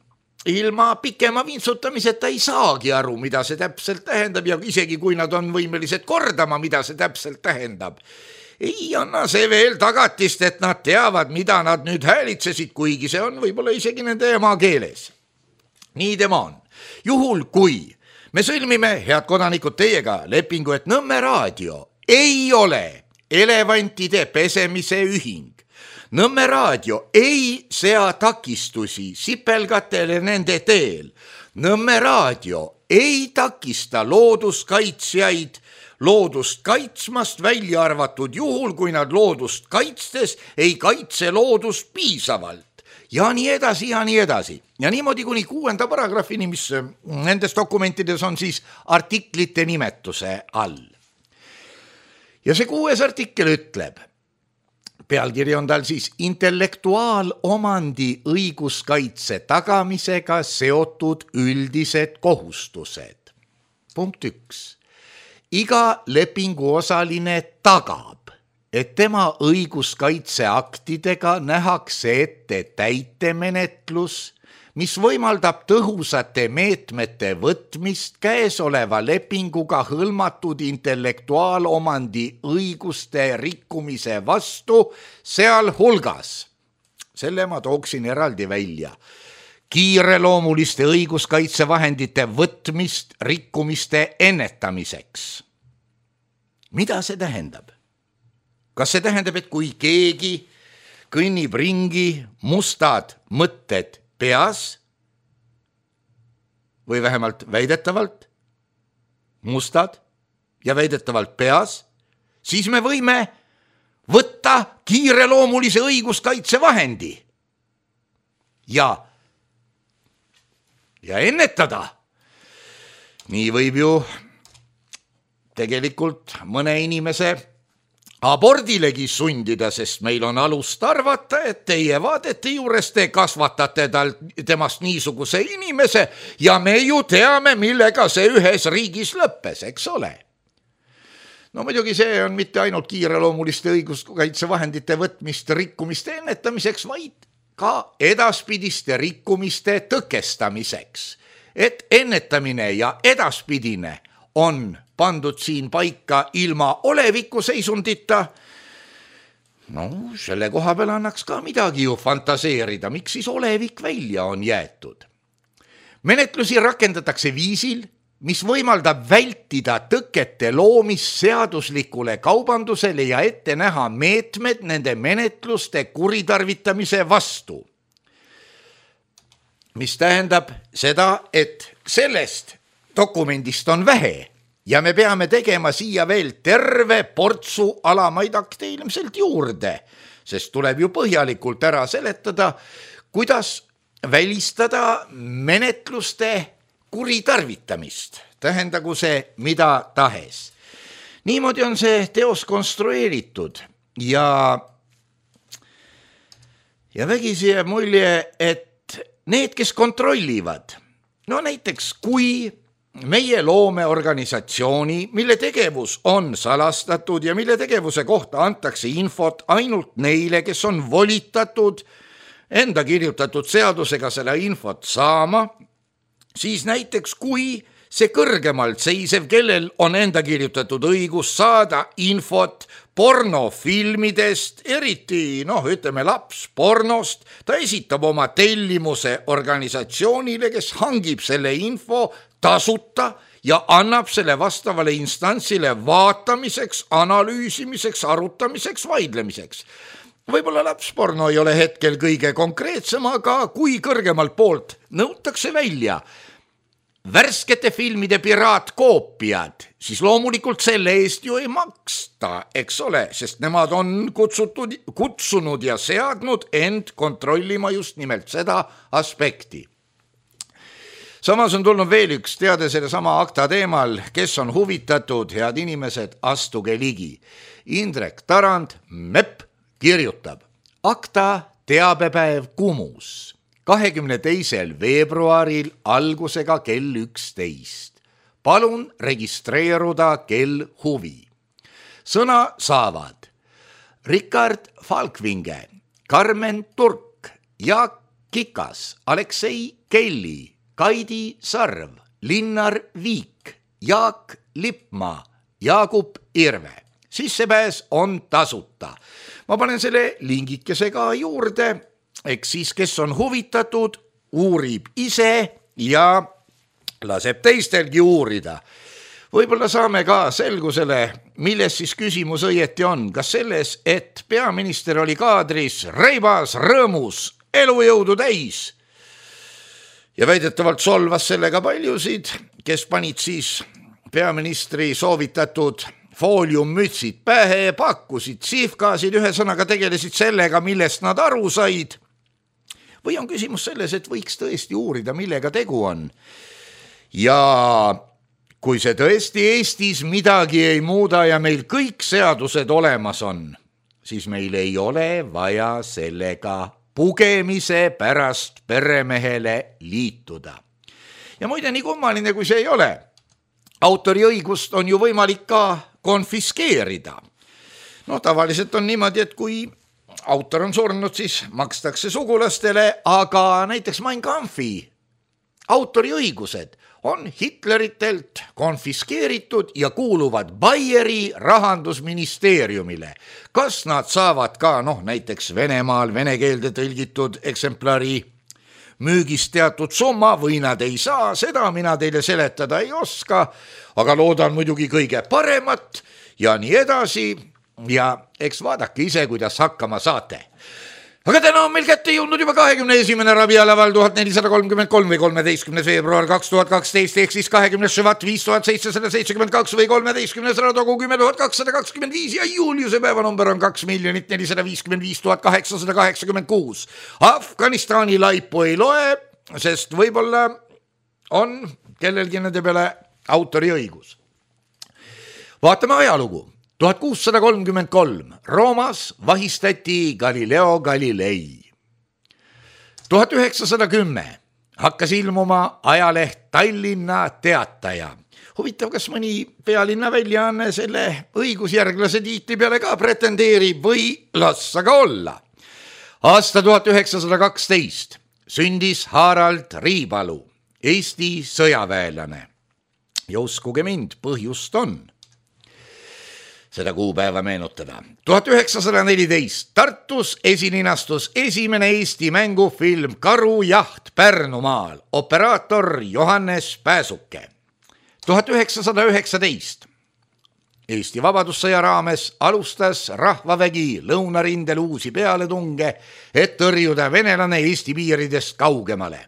ilma pikema vintsutamiseta ei saagi aru, mida see täpselt tähendab ja isegi kui nad on võimelised kordama, mida see täpselt tähendab. Ei anna see veel tagatist, et nad teavad, mida nad nüüd häälitsesid, kuigi see on võib-olla isegi nende ema keeles. Nii tema on. Juhul kui me sõlmime, head kodanikud, teiega lepingu, et Nõmme raadio ei ole elevantide pesemise ühing. Nõmme raadio ei sea takistusi sipelgatele nende teel. Nõmme raadio ei takista looduskaitsjaid loodust kaitsmast, välja arvatud juhul, kui nad loodust kaitstes ei kaitse loodust piisavalt. Ja nii edasi, ja nii edasi. Ja niimoodi kuni 6. paragrahvini, mis nendes dokumentides on siis artiklite nimetuse all. Ja see 6. artikkel ütleb, pealkiri on tal siis intellektuaalomandi õiguskaitse tagamisega seotud üldised kohustused. Punkt 1. Iga lepinguosaline tagab, et tema õiguskaitseaktidega nähakse ette täitemenetlus, mis võimaldab tõhusate meetmete võtmist käesoleva lepinguga hõlmatud intellektuaalomandi õiguste rikkumise vastu, sealhulgas, selle ma tooksin eraldi välja, kiireloomuliste õiguskaitsevahendite võtmist rikkumiste ennetamiseks. Mida see tähendab? Kas see tähendab, et kui keegi kõnnib ringi mustad mõtted peas või vähemalt väidetavalt mustad ja väidetavalt peas, siis me võime võtta kiireloomulise õiguskaitsevahendi ja ennetada. Nii võib ju tegelikult mõne inimese abordilegi sundida, sest meil on alust arvata, et teie vaadete juures te kasvatate temast niisuguse inimese ja me ju teame, millega see ühes riigis lõppes, eks ole. No muidugi see on mitte ainult kiireloomuliste õiguskaitsevahendite võtmist rikkumiste ennetamiseks, vaid ka edaspidiste rikkumiste tõkestamiseks. Et ennetamine ja edaspidine on pandud siin paika ilma oleviku seisundita, no selle koha peal annaks ka midagi ju fantaseerida, miks siis olevik välja on jäetud. Menetlusi rakendatakse viisil, mis võimaldab vältida tõkete loomist seaduslikule kaubandusele ja ette näha meetmed nende menetluste kuritarvitamise vastu. Mis tähendab seda, et sellest dokumendist on vähe ja me peame tegema siia veel terve portsu alamaid akte ilmselt juurde, sest tuleb ju põhjalikult ära seletada, kuidas välistada menetluste kuritarvitamist, tähendagu see mida tahes. Niimoodi on see teos konstrueeritud ja vägisi jääb mulje, et need, kes kontrollivad, no näiteks kui meie loome organisatsiooni, mille tegevus on salastatud ja mille tegevuse kohta antakse infot ainult neile, kes on volitatud enda kirjutatud seadusega selle infot saama, siis näiteks kui see kõrgemalt seisev, kellel on enda kirjutatud õigus saada infot pornofilmidest, eriti ütleme lapspornost, ta esitab oma tellimuse organisatsioonile, kes hangib selle info tasuta ja annab selle vastavale instantsile vaatamiseks, analüüsimiseks, arutamiseks, vaidlemiseks. Võib-olla lapsporno ei ole hetkel kõige konkreetsem, aga kui kõrgemalt poolt nõutakse välja värskete filmide piraatkoopiad, siis loomulikult selle eest ju ei maksta, eks ole, sest nemad on kutsunud ja seadnud end kontrollima just nimelt seda aspekti. Samas on tulnud veel üks teade selle sama akta teemal, kes on huvitatud, head inimesed, astuge ligi. Indrek Tarand, MEP, kirjutab akta teabepäev Kumus 22. veebruaril algusega kell 11. Palun registreeruda kell huvi. Sõna saavad Rikard Falkvinge, Karmen Turk, Jaak Kikas, Aleksei Kelli, Kaidi Sarv, Linnar Viik, Jaak Lippmaa, Jaagup Irve. Sissepääs on tasuta. Ma panen selle lingikese ka juurde, eks siis, kes on huvitatud, uurib ise ja laseb teistelgi uurida. Võib-olla saame ka selgusele, milles siis küsimus õieti on. Kas selles, et peaminister oli kaadris reibas, rõõmus, elujõudu täis ja väidetavalt solvas sellega paljusid, kes panid siis peaministri soovitatud fooliummütsid pähe, pakkusid sihvkaasid, ühesõnaga tegelesid sellega, millest nad aru said. Või on küsimus selles, et võiks tõesti uurida, millega tegu on. Ja kui see tõesti Eestis midagi ei muuda ja meil kõik seadused olemas on, siis meil ei ole vaja sellega pugemise pärast peremehele liituda. Ja muide, nii kummaline kui see ei ole, autoriõigust on ju võimalik ka konfiskeerida. Tavaliselt on niimoodi, et kui autor on surnud, siis makstakse sugulastele, aga näiteks Mein Kampfi autoriõigused on Hitleritelt konfiskeeritud ja kuuluvad Bayeri rahandusministeeriumile. Kas nad saavad ka näiteks Venemaal vene keelde tõlgitud eksemplari müügist teatud summa või nad ei saa, seda mina teile seletada ei oska, aga loodan muidugi kõige paremat ja nii edasi ja eks vaadake ise, kuidas hakkama saate. Aga täna on meil kätte jõudnud juba 21. rabialaval 1433 või 13. veebruar 2012 ehk siis 20. ševat 5772 või 13. radogu 10225 ja Juliuse päevanumber on 2 455 886. Afganistani laipu ei loe, sest võib-olla on kellelgi nende peale autoriõigus. Vaatame ajalugu. 1633 Roomas vahistati Galileo Galilei. 1910 hakkas ilmuma ajaleht Tallinna Teataja. Huvitav, kas mõni pealinna väljaanne selle õigusjärglase tiitli peale ka pretendeerib või las aga olla. Aasta 1912 sündis Harald Riipalu, Eesti sõjaväelane. Ja uskuge mind, põhjust on seda kuupäeva meenutada. 1914 Tartus esilinastus esimene Eesti mängufilm Karujaht Pärnumaal, operaator Johannes Pääsuke. 1919 Eesti Vabadussõja raames alustas rahvavägi lõunarindel uusi pealetunge, et tõrjuda venelane Eesti piiridest kaugemale.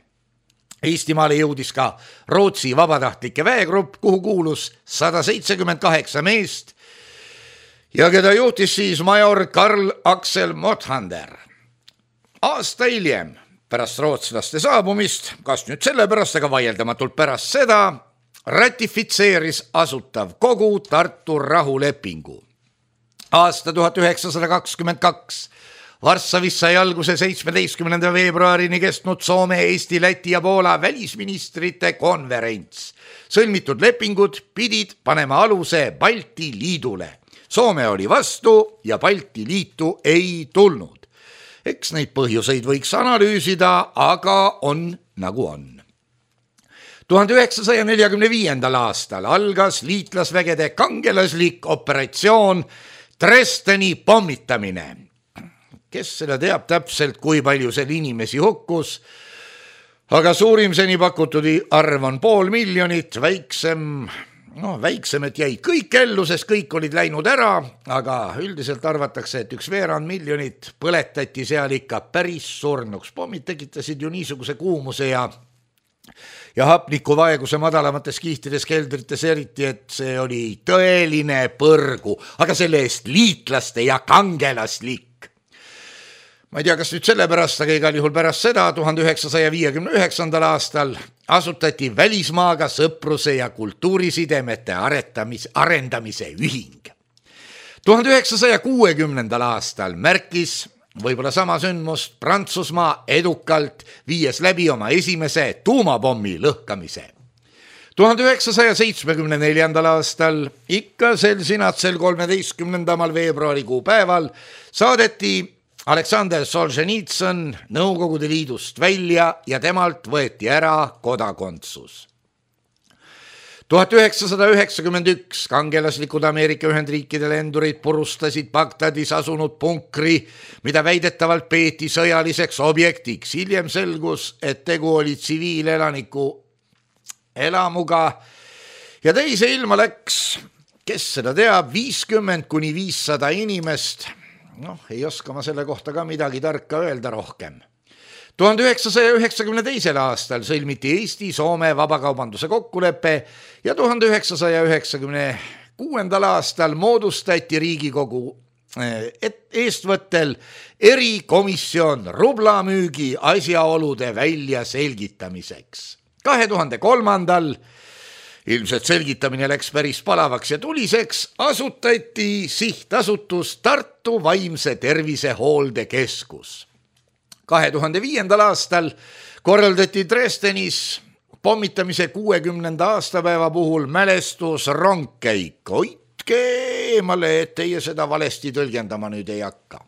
Eestimaale jõudis ka Rootsi vabatahtlike väegrupp, kuhu kuulus 178 meest ja keda juhtis siis major Karl Axel Mothander. Aasta hiljem, pärast rootslaste saabumist, kas nüüd sellepärast, aga vaieldamatult pärast seda, ratifitseeris Asutav Kogu Tartu rahulepingu. Aasta 1922 Varssavis sai alguse 17. veebruarini kestnud Soome, Eesti, Läti ja Poola välisministrite konverents. Sõlmitud lepingud pidid panema aluse Balti liidule. Soome oli vastu ja Balti liitu ei tulnud. Eks neid põhjuseid võiks analüüsida, aga on nagu on. 1945. aastal algas liitlasvägede kangelaslik operatsioon Dresdeni pommitamine. Kes seda teab täpselt, kui palju seal inimesi hukkus, aga suurim seni pakutud arv on 500 000, väiksem, et jäid kõik ellu, sest kõik olid läinud ära, aga üldiselt arvatakse, et 1,2 miljonit põletati seal ikka päris surnuks. Pommid tekitasid ju niisuguse kuumuse ja hapnikuvaeguse madalamates kihtides keldrites eriti, et see oli tõeline põrgu, aga selle eest liitlaste ja kangelaslik. Ma ei tea, kas nüüd sellepärast, aga igal juhul pärast seda 1959. aastal asutati välismaaga sõpruse ja kultuurisidemete arendamise ühing. 1960. aastal märkis võib-olla sama sündmust Prantsusmaa edukalt, viies läbi oma esimese tuumapommi lõhkamise. 1974. aastal ikka sel sinatsel 13. veebruarikuu päeval saadeti Aleksander Solženitsõn Nõukogude Liidust välja ja temalt võeti ära kodakondsus. 1991 kangelaslikud Ameerika Ühendriikide lendurid purustasid Bagdadis asunud punkri, mida väidetavalt peeti sõjaliseks objektiks. Hiljem selgus, et tegu oli tsiviilelaniku elamuga ja teise ilma läks, kes seda teab, 50–500 inimest. Ei oska ma selle kohta ka midagi tarka öelda rohkem. 1992. aastal sõlmiti Eesti-Soome vabakaubanduse kokkulepe ja 1996. aastal moodustati Riigikogu eestvõttel erikomisjon rublamüügi asjaolude väljaselgitamiseks. 2003. ilmselt selgitamine läks päris palavaks ja tuliseks, asutati sihtasutus Tartu Vaimse Tervise Hooldekeskus. 2005. aastal korraldati Dresdenis pommitamise 60. aastapäeva puhul mälestusrongkäik. Hoidke eemale, et teie seda valesti tõlgendama nüüd ei hakka.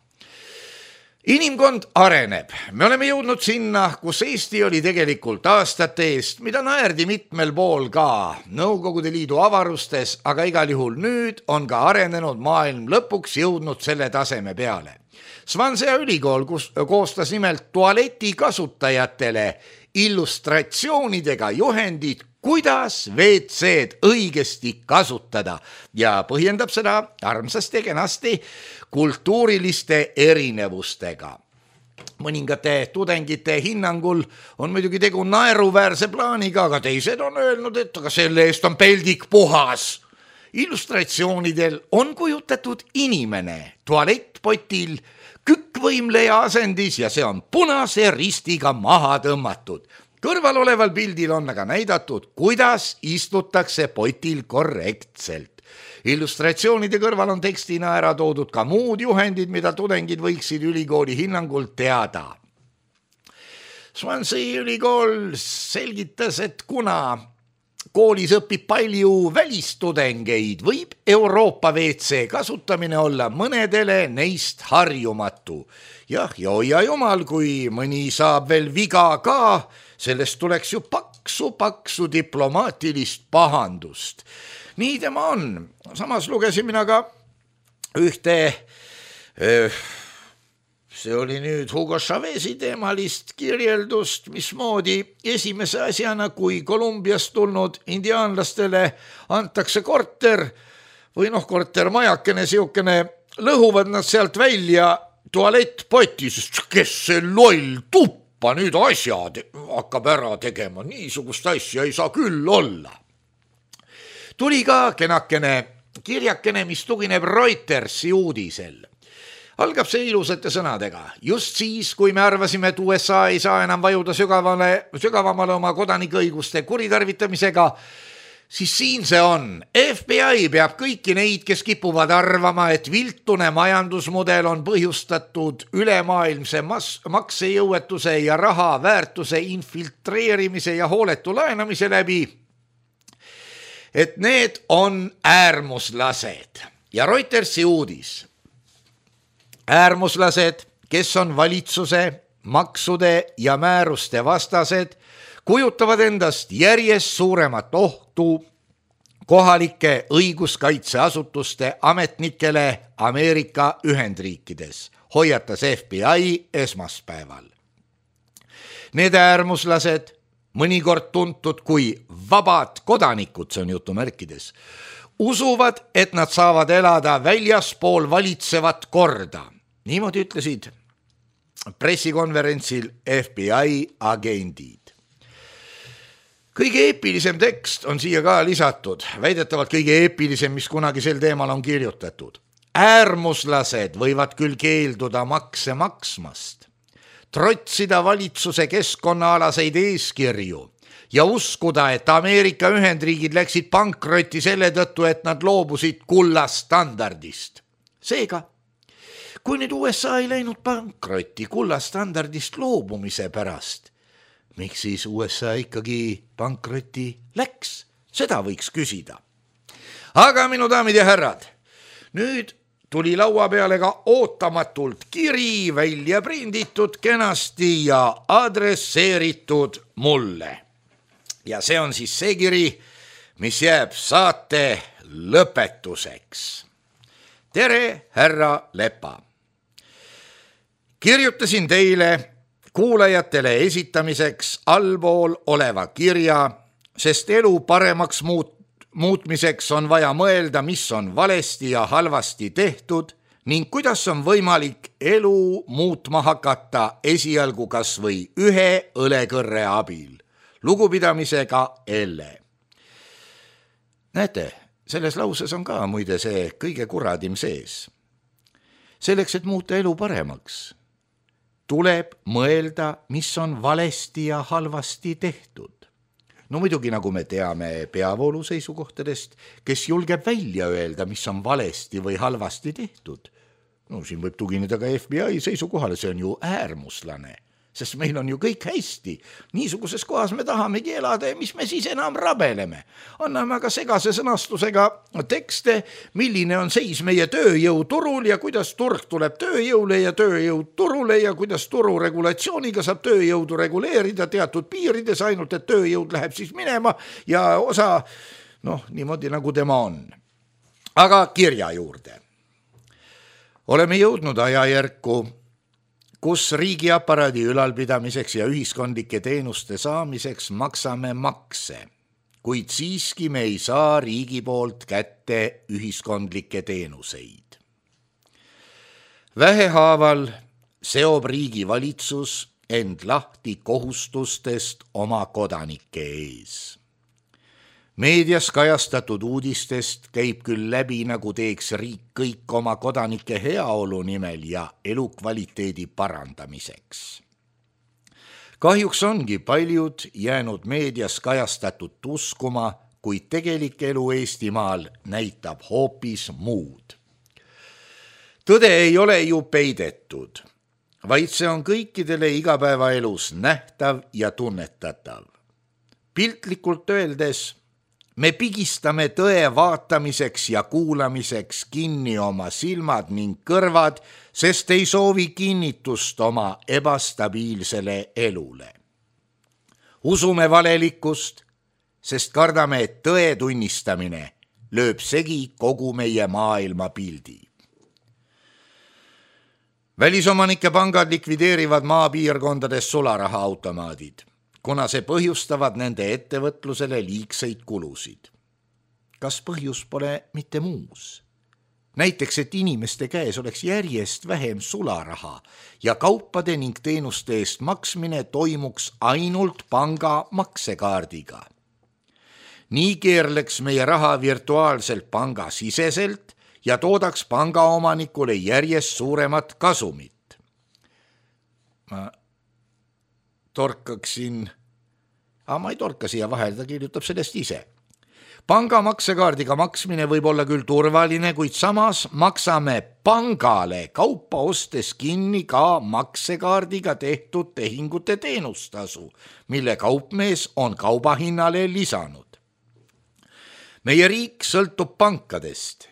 Inimkond areneb. Me oleme jõudnud sinna, kus Eesti oli tegelikult aastate eest, mida naerdi mitmel pool ka Nõukogude Liidu avarustes, aga igal juhul nüüd on ka arenenud maailm lõpuks jõudnud selle taseme peale. Swansea ülikool koostas nimelt tualeti kasutajatele illustratsioonidega juhendid, kuidas WC-d õigesti kasutada ja põhjendab seda armsasti ja kenasti kultuuriliste erinevustega. Mõningate tudengite hinnangul on muidugi tegu naeruväärse plaaniga, aga teised on öelnud, et aga selle eest on peldik puhas. Illustratsioonidel on kujutatud inimene tualettpotil kükkvõimleja asendis ja see on punase ristiga maha tõmmatud. Kõrval oleval pildil on aga näidatud, kuidas istutakse potil korrektselt. Illustratsioonide kõrval on tekstina ära toodud ka muud juhendid, mida tudengid võiksid ülikooli hinnangul teada. Swansea ülikool selgitas, et kuna koolis õpib palju välistudengeid, võib Euroopa WC kasutamine olla mõnedele neist harjumatu. Jah, ja hoia jumal, kui mõni saab veel viga ka, sellest tuleks ju paksu diplomaatilist pahandust. Nii tema on. Samas lugesin mina ka ühte... See oli nüüd Hugo Chavez'i teemalist kirjeldust, mismoodi esimese asjana, kui Kolumbiast tulnud indiaanlastele antakse korter või kortermajakene, siukene, lõhuvad nad sealt välja tualettpoti, sest kes see loll tuppa nüüd asjad hakkab ära tegema, niisugust asja ei saa küll olla. Tuli ka kenakene kirjakene, mis tugineb Reutersi uudisel. Algab see ilusate sõnadega. Just siis, kui me arvasime, et USA ei saa enam vajuda sügavamale oma kodanikuõiguste kuritarvitamisega, siis siin see on. FBI peab kõiki neid, kes kipuvad arvama, et viltune majandusmudel on põhjustatud ülemaailmse maksejõuetuse ja raha väärtuse infiltreerimise ja hooletu laenamise läbi, et need on äärmuslased. Ja Reutersi uudis. Äärmuslased, kes on valitsuse, maksude ja määruste vastased, kujutavad endast järjest suuremat ohtu kohalike õiguskaitseasutuste ametnikele Ameerika Ühendriikides, hoiatas FBI esmaspäeval. Need äärmuslased, mõnikord tuntud kui vabad kodanikud, see on jutumärkides, usuvad, et nad saavad elada väljaspool valitsevat korda. Niimoodi ütlesid pressikonverentsil FBI agendid. Kõige eepilisem tekst on siia ka lisatud, väidetavalt kõige eepilisem, mis kunagi sel teemal on kirjutatud. Äärmuslased võivad küll keelduda makse maksmast, trotsida valitsuse keskkonnaalaseid eeskirju ja uskuda, et Ameerika Ühendriigid läksid pankrotti selle tõttu, et nad loobusid kullastandardist. Seega, kui nüüd USA ei läinud pankrotti kullastandardist loobumise pärast, miks siis USA ikkagi pankrotti läks? Seda võiks küsida. Aga minu daamid ja härrad, nüüd tuli laua peale ka ootamatult kiri välja prinditud kenasti ja adresseeritud mulle. Ja see on siis see kiri, mis jääb saate lõpetuseks. Tere, härra Lepa! Kirjutasin teile kuulajatele esitamiseks allpool oleva kirja, sest elu paremaks muutmiseks on vaja mõelda, mis on valesti ja halvasti tehtud ning kuidas on võimalik elu muutma hakata esialgu kas või ühe õlekõrre abil. Lugupidamisega Elle. Näete, selles lauses on ka muide see kõige kuradim sees. Selleks, et muuta elu paremaks, tuleb mõelda, mis on valesti ja halvasti tehtud. No muidugi, nagu me teame peavoolu seisukohtadest, kes julgeb välja öelda, mis on valesti või halvasti tehtud. No siin võib tugineda ka FBI seisukohale, see on ju äärmuslane, sest meil on ju kõik hästi. Niisuguses kohas me tahamegi elada ja mis me siis enam rabeleme. Anname aga segase sõnastusega tekste, milline on seis meie tööjõuturul ja kuidas turg tuleb tööjõule ja tööjõud turule ja kuidas turu regulatsiooniga saab tööjõudu reguleerida teatud piirides, ainult et tööjõud läheb siis minema ja osa, niimoodi nagu tema on. Aga kirja juurde. Oleme jõudnud ajajärku, kus riigiaparaadi ülalpidamiseks ja ühiskondlike teenuste saamiseks maksame makse, kuid siiski me ei saa riigi poolt kätte ühiskondlikke teenuseid. Vähehaaval seob riigi valitsus end lahti kohustustest oma kodanike ees. Meedias kajastatud uudistest käib küll läbi, nagu teeks riik kõik oma kodanike heaolu nimel ja elukvaliteedi parandamiseks. Kahjuks ongi paljud jäänud meedias kajastatud uskuma, kuid tegelik elu Eestimaal näitab hoopis muud. Tõde ei ole ju peidetud, vaid see on kõikidele igapäevaelus nähtav ja tunnetatav. Piltlikult öeldes Me pigistame tõe vaatamiseks ja kuulamiseks kinni oma silmad ning kõrvad, sest ei soovi kinnitust oma ebastabiilsele elule. Usume valelikkust, sest kardame, et tõe tunnistamine lööb segi kogu meie maailma pildi. Välisomanike pangad likvideerivad maapiirkondades sularahaautomaadid, kuna see põhjustavad nende ettevõtlusele liigseid kulusid. Kas põhjus pole mitte muus? Näiteks, et inimeste käes oleks järjest vähem sularaha ja kaupade ning teenuste eest maksmine toimuks ainult panga maksekaardiga. Nii keerleks meie raha virtuaalselt panga siseselt ja toodaks pangaomanikule järjest suuremat kasumit. Ma ei torka siia vahele, ta kirjutab sellest ise. Panga maksekaardiga maksmine võib olla küll turvaline, kuid samas maksame pangale kaupa ostes kinni ka maksekaardiga tehtud tehingute teenustasu, mille kaupmees on kaubahinnale lisanud. Meie riik sõltub pankadest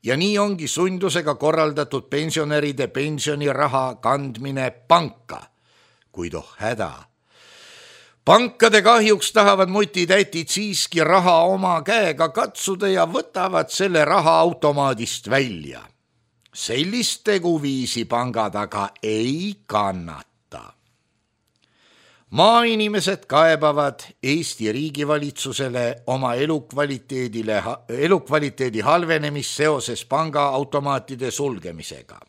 ja nii ongi sundusega korraldatud pensionäride pensioniraha kandmine panka, kuid häda. Pankade kahjuks tahavad mutitätid siiski raha oma käega katsuda ja võtavad selle raha automaadist välja. Sellist teguviisi pangad aga ei kannata. Maainimesed kaebavad Eesti riigivalitsusele oma elukvaliteedi halvenemist seoses pangaautomaatide sulgemisega.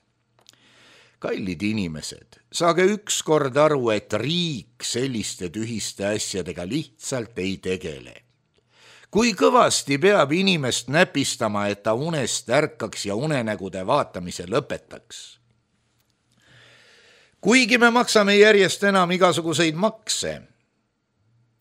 Kallid inimesed, saage ükskord aru, et riik selliste tühiste asjadega lihtsalt ei tegele. Kui kõvasti peab inimest näpistama, et ta unest ärkaks ja unenägude vaatamise lõpetaks? Kuigi me maksame järjest enam igasuguseid makse,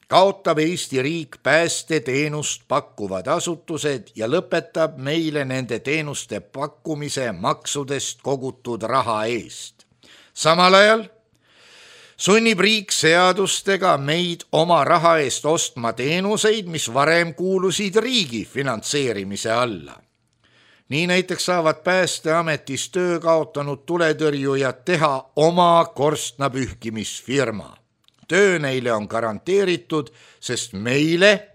kaotab Eesti riik päästeteenust pakkuvad asutused ja lõpetab meile nende teenuste pakkumise maksudest kogutud raha eest. Samal ajal sunnib riik seadustega meid oma raha eest ostma teenuseid, mis varem kuulusid riigi finantseerimise alla. Nii näiteks saavad Päästeametis töö kaotanud tuletõrjujad teha oma korstnapühkimisfirma. Töö neile on garanteeritud, sest meile,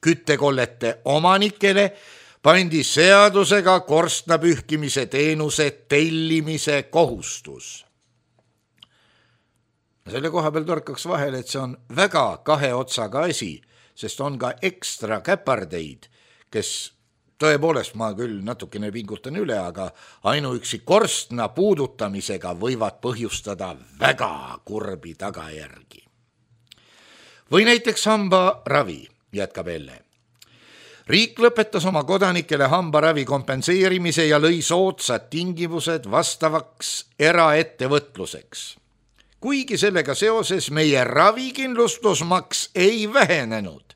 küttekollete omanikele, pandi seadusega korstnapühkimise teenuse tellimise kohustus. Selle koha peal torkaks vahele, et see on väga kahe otsaga asi, sest on ka ekstra käpardeid, kes tõepoolest, ma küll natukene pingutan üle, aga ainuüksi korstna puudutamisega võivad põhjustada väga kurbi tagajärgi. Või näiteks hambaravi, jätkab Elle. Riik lõpetas oma kodanikele hambaravi kompenseerimise ja lõi soodsad tingimused vastavaks eraettevõtluseks. Kuigi sellega seoses meie ravikindlustusmaks ei vähenenud,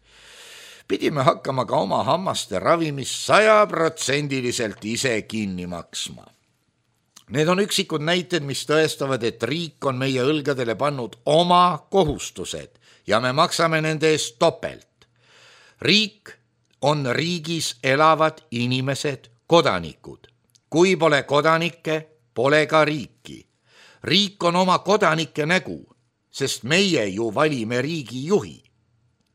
pidime hakkama ka oma hammaste ravimist 100% ise kinni maksma. Need on üksikud näited, mis tõestavad, et riik on meie õlgadele pannud oma kohustused ja me maksame nende eest topelt. Riik on riigis elavad inimesed, kodanikud. Kui pole kodanikke, pole ka riiki. Riik on oma kodanike nägu, sest meie ju valime riigi juhi.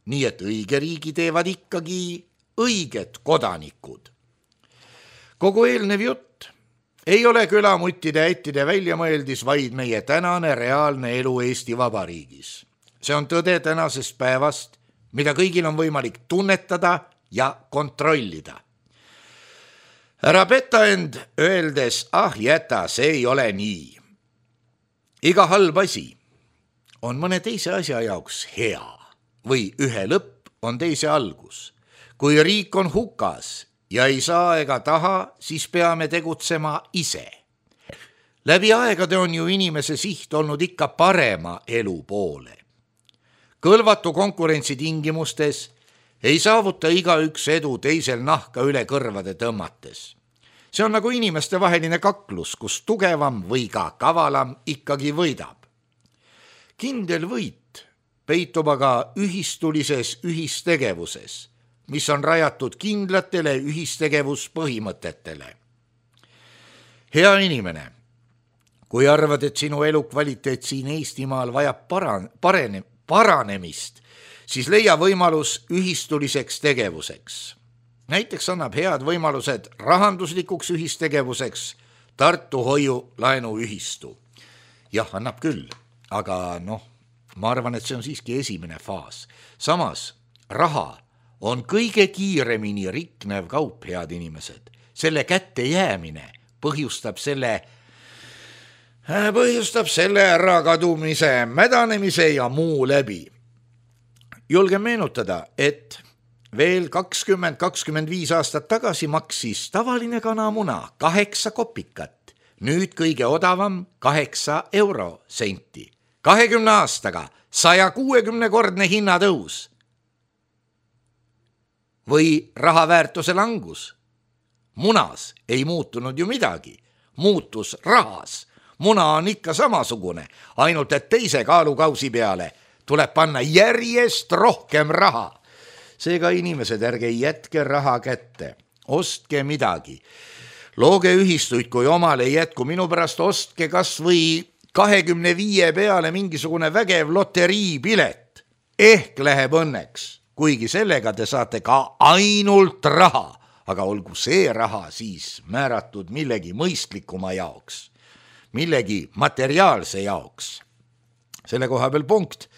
Nii et õige riigi teevad ikkagi õiged kodanikud. Kogu eelnev jutt ei ole külamuttide ättide väljamõeldis, vaid meie tänane reaalne elu Eesti Vabariigis. See on tõde tänasest päevast, mida kõigil on võimalik tunnetada ja kontrollida. Ära peta end öeldes, jäta, see ei ole nii. Iga halb asi on mõne teise asja jaoks hea. Või ühe lõpp on teise algus. Kui riik on hukas ja ei saa ega taha, siis peame tegutsema ise. Läbi aegade on ju inimese siht olnud ikka parema elu poole. Kõlvatu konkurentsi tingimustes ei saavuta igaüks edu teisel nahka üle kõrvade tõmmates. See on nagu inimeste vaheline kaklus, kus tugevam või ka kavalam ikkagi võidab. Kindel võit peitub aga ühistulises ühistegevuses. mis on rajatud kindlatele ühistegevuspõhimõtetele. Hea inimene, kui arvad, et sinu elukvaliteet siin Eestimaal vajab paranemist, siis leia võimalus ühistuliseks tegevuseks. Näiteks annab head võimalused rahanduslikuks ühistegevuseks Tartu hoiulaenuühistu. Jah, annab küll, aga ma arvan, et see on siiski esimene faas. Samas, raha on kõige kiiremini riknev kaup, head inimesed. Selle kätte jäämine põhjustab selle ärakadumise, mädanemise ja muu läbi. Julgen meenutada, et veel 20-25 aastat tagasi maksis tavaline kanamuna 8 kopikat, nüüd kõige odavam 8 eurosenti. 20 aastaga 160-kordne hinnatõus või raha väärtuse langus. Munas ei muutunud ju midagi, muutus rahas. Muna on ikka samasugune, ainult et teise kaalukausi peale tuleb panna järjest rohkem raha. Seega inimesed, ärge jätke raha kätte, ostke midagi. Looge ühistuid, kui omal ei jätku, minu pärast ostke kas või 25 peale mingisugune vägev loteriipilet. Ehk läheb õnneks, kuigi sellega te saate ka ainult raha, aga olgu see raha siis määratud millegi mõistlikuma jaoks, millegi materiaalse jaoks. Selle koha peal punkt.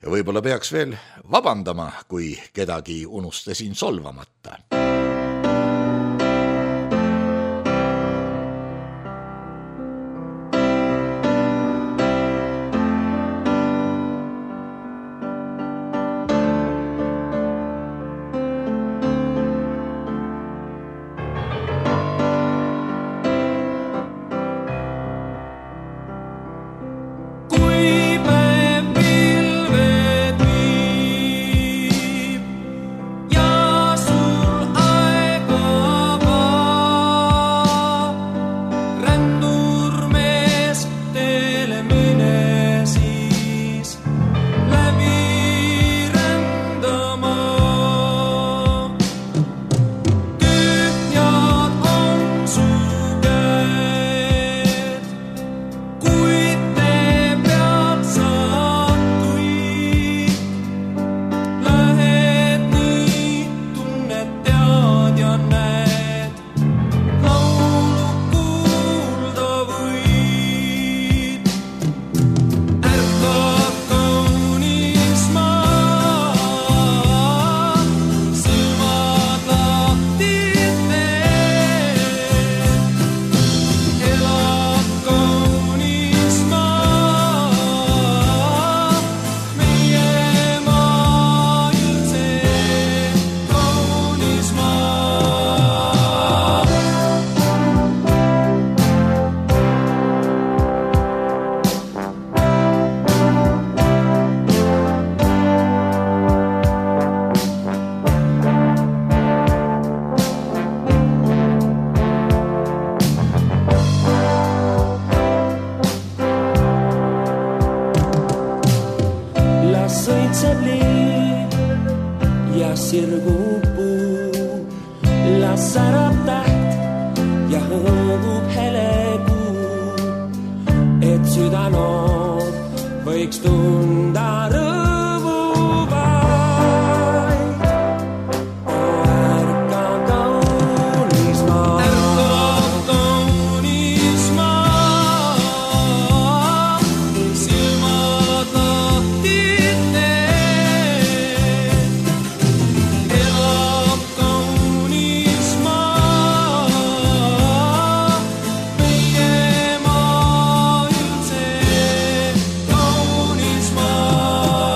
Ja võib-olla peaks veel vabandama, kui kedagi unustasin solvamata. sirgub puu, las särab täht ja hõõgub helekuu, et süda noor võiks tunda rõõmu vaid. Ärka kaunis maa, silmad lahti teed. Elab kaunis maa, meie maa üldse kaunis maa.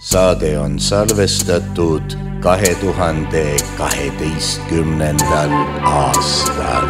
saade on salvestatud 2012. aastal.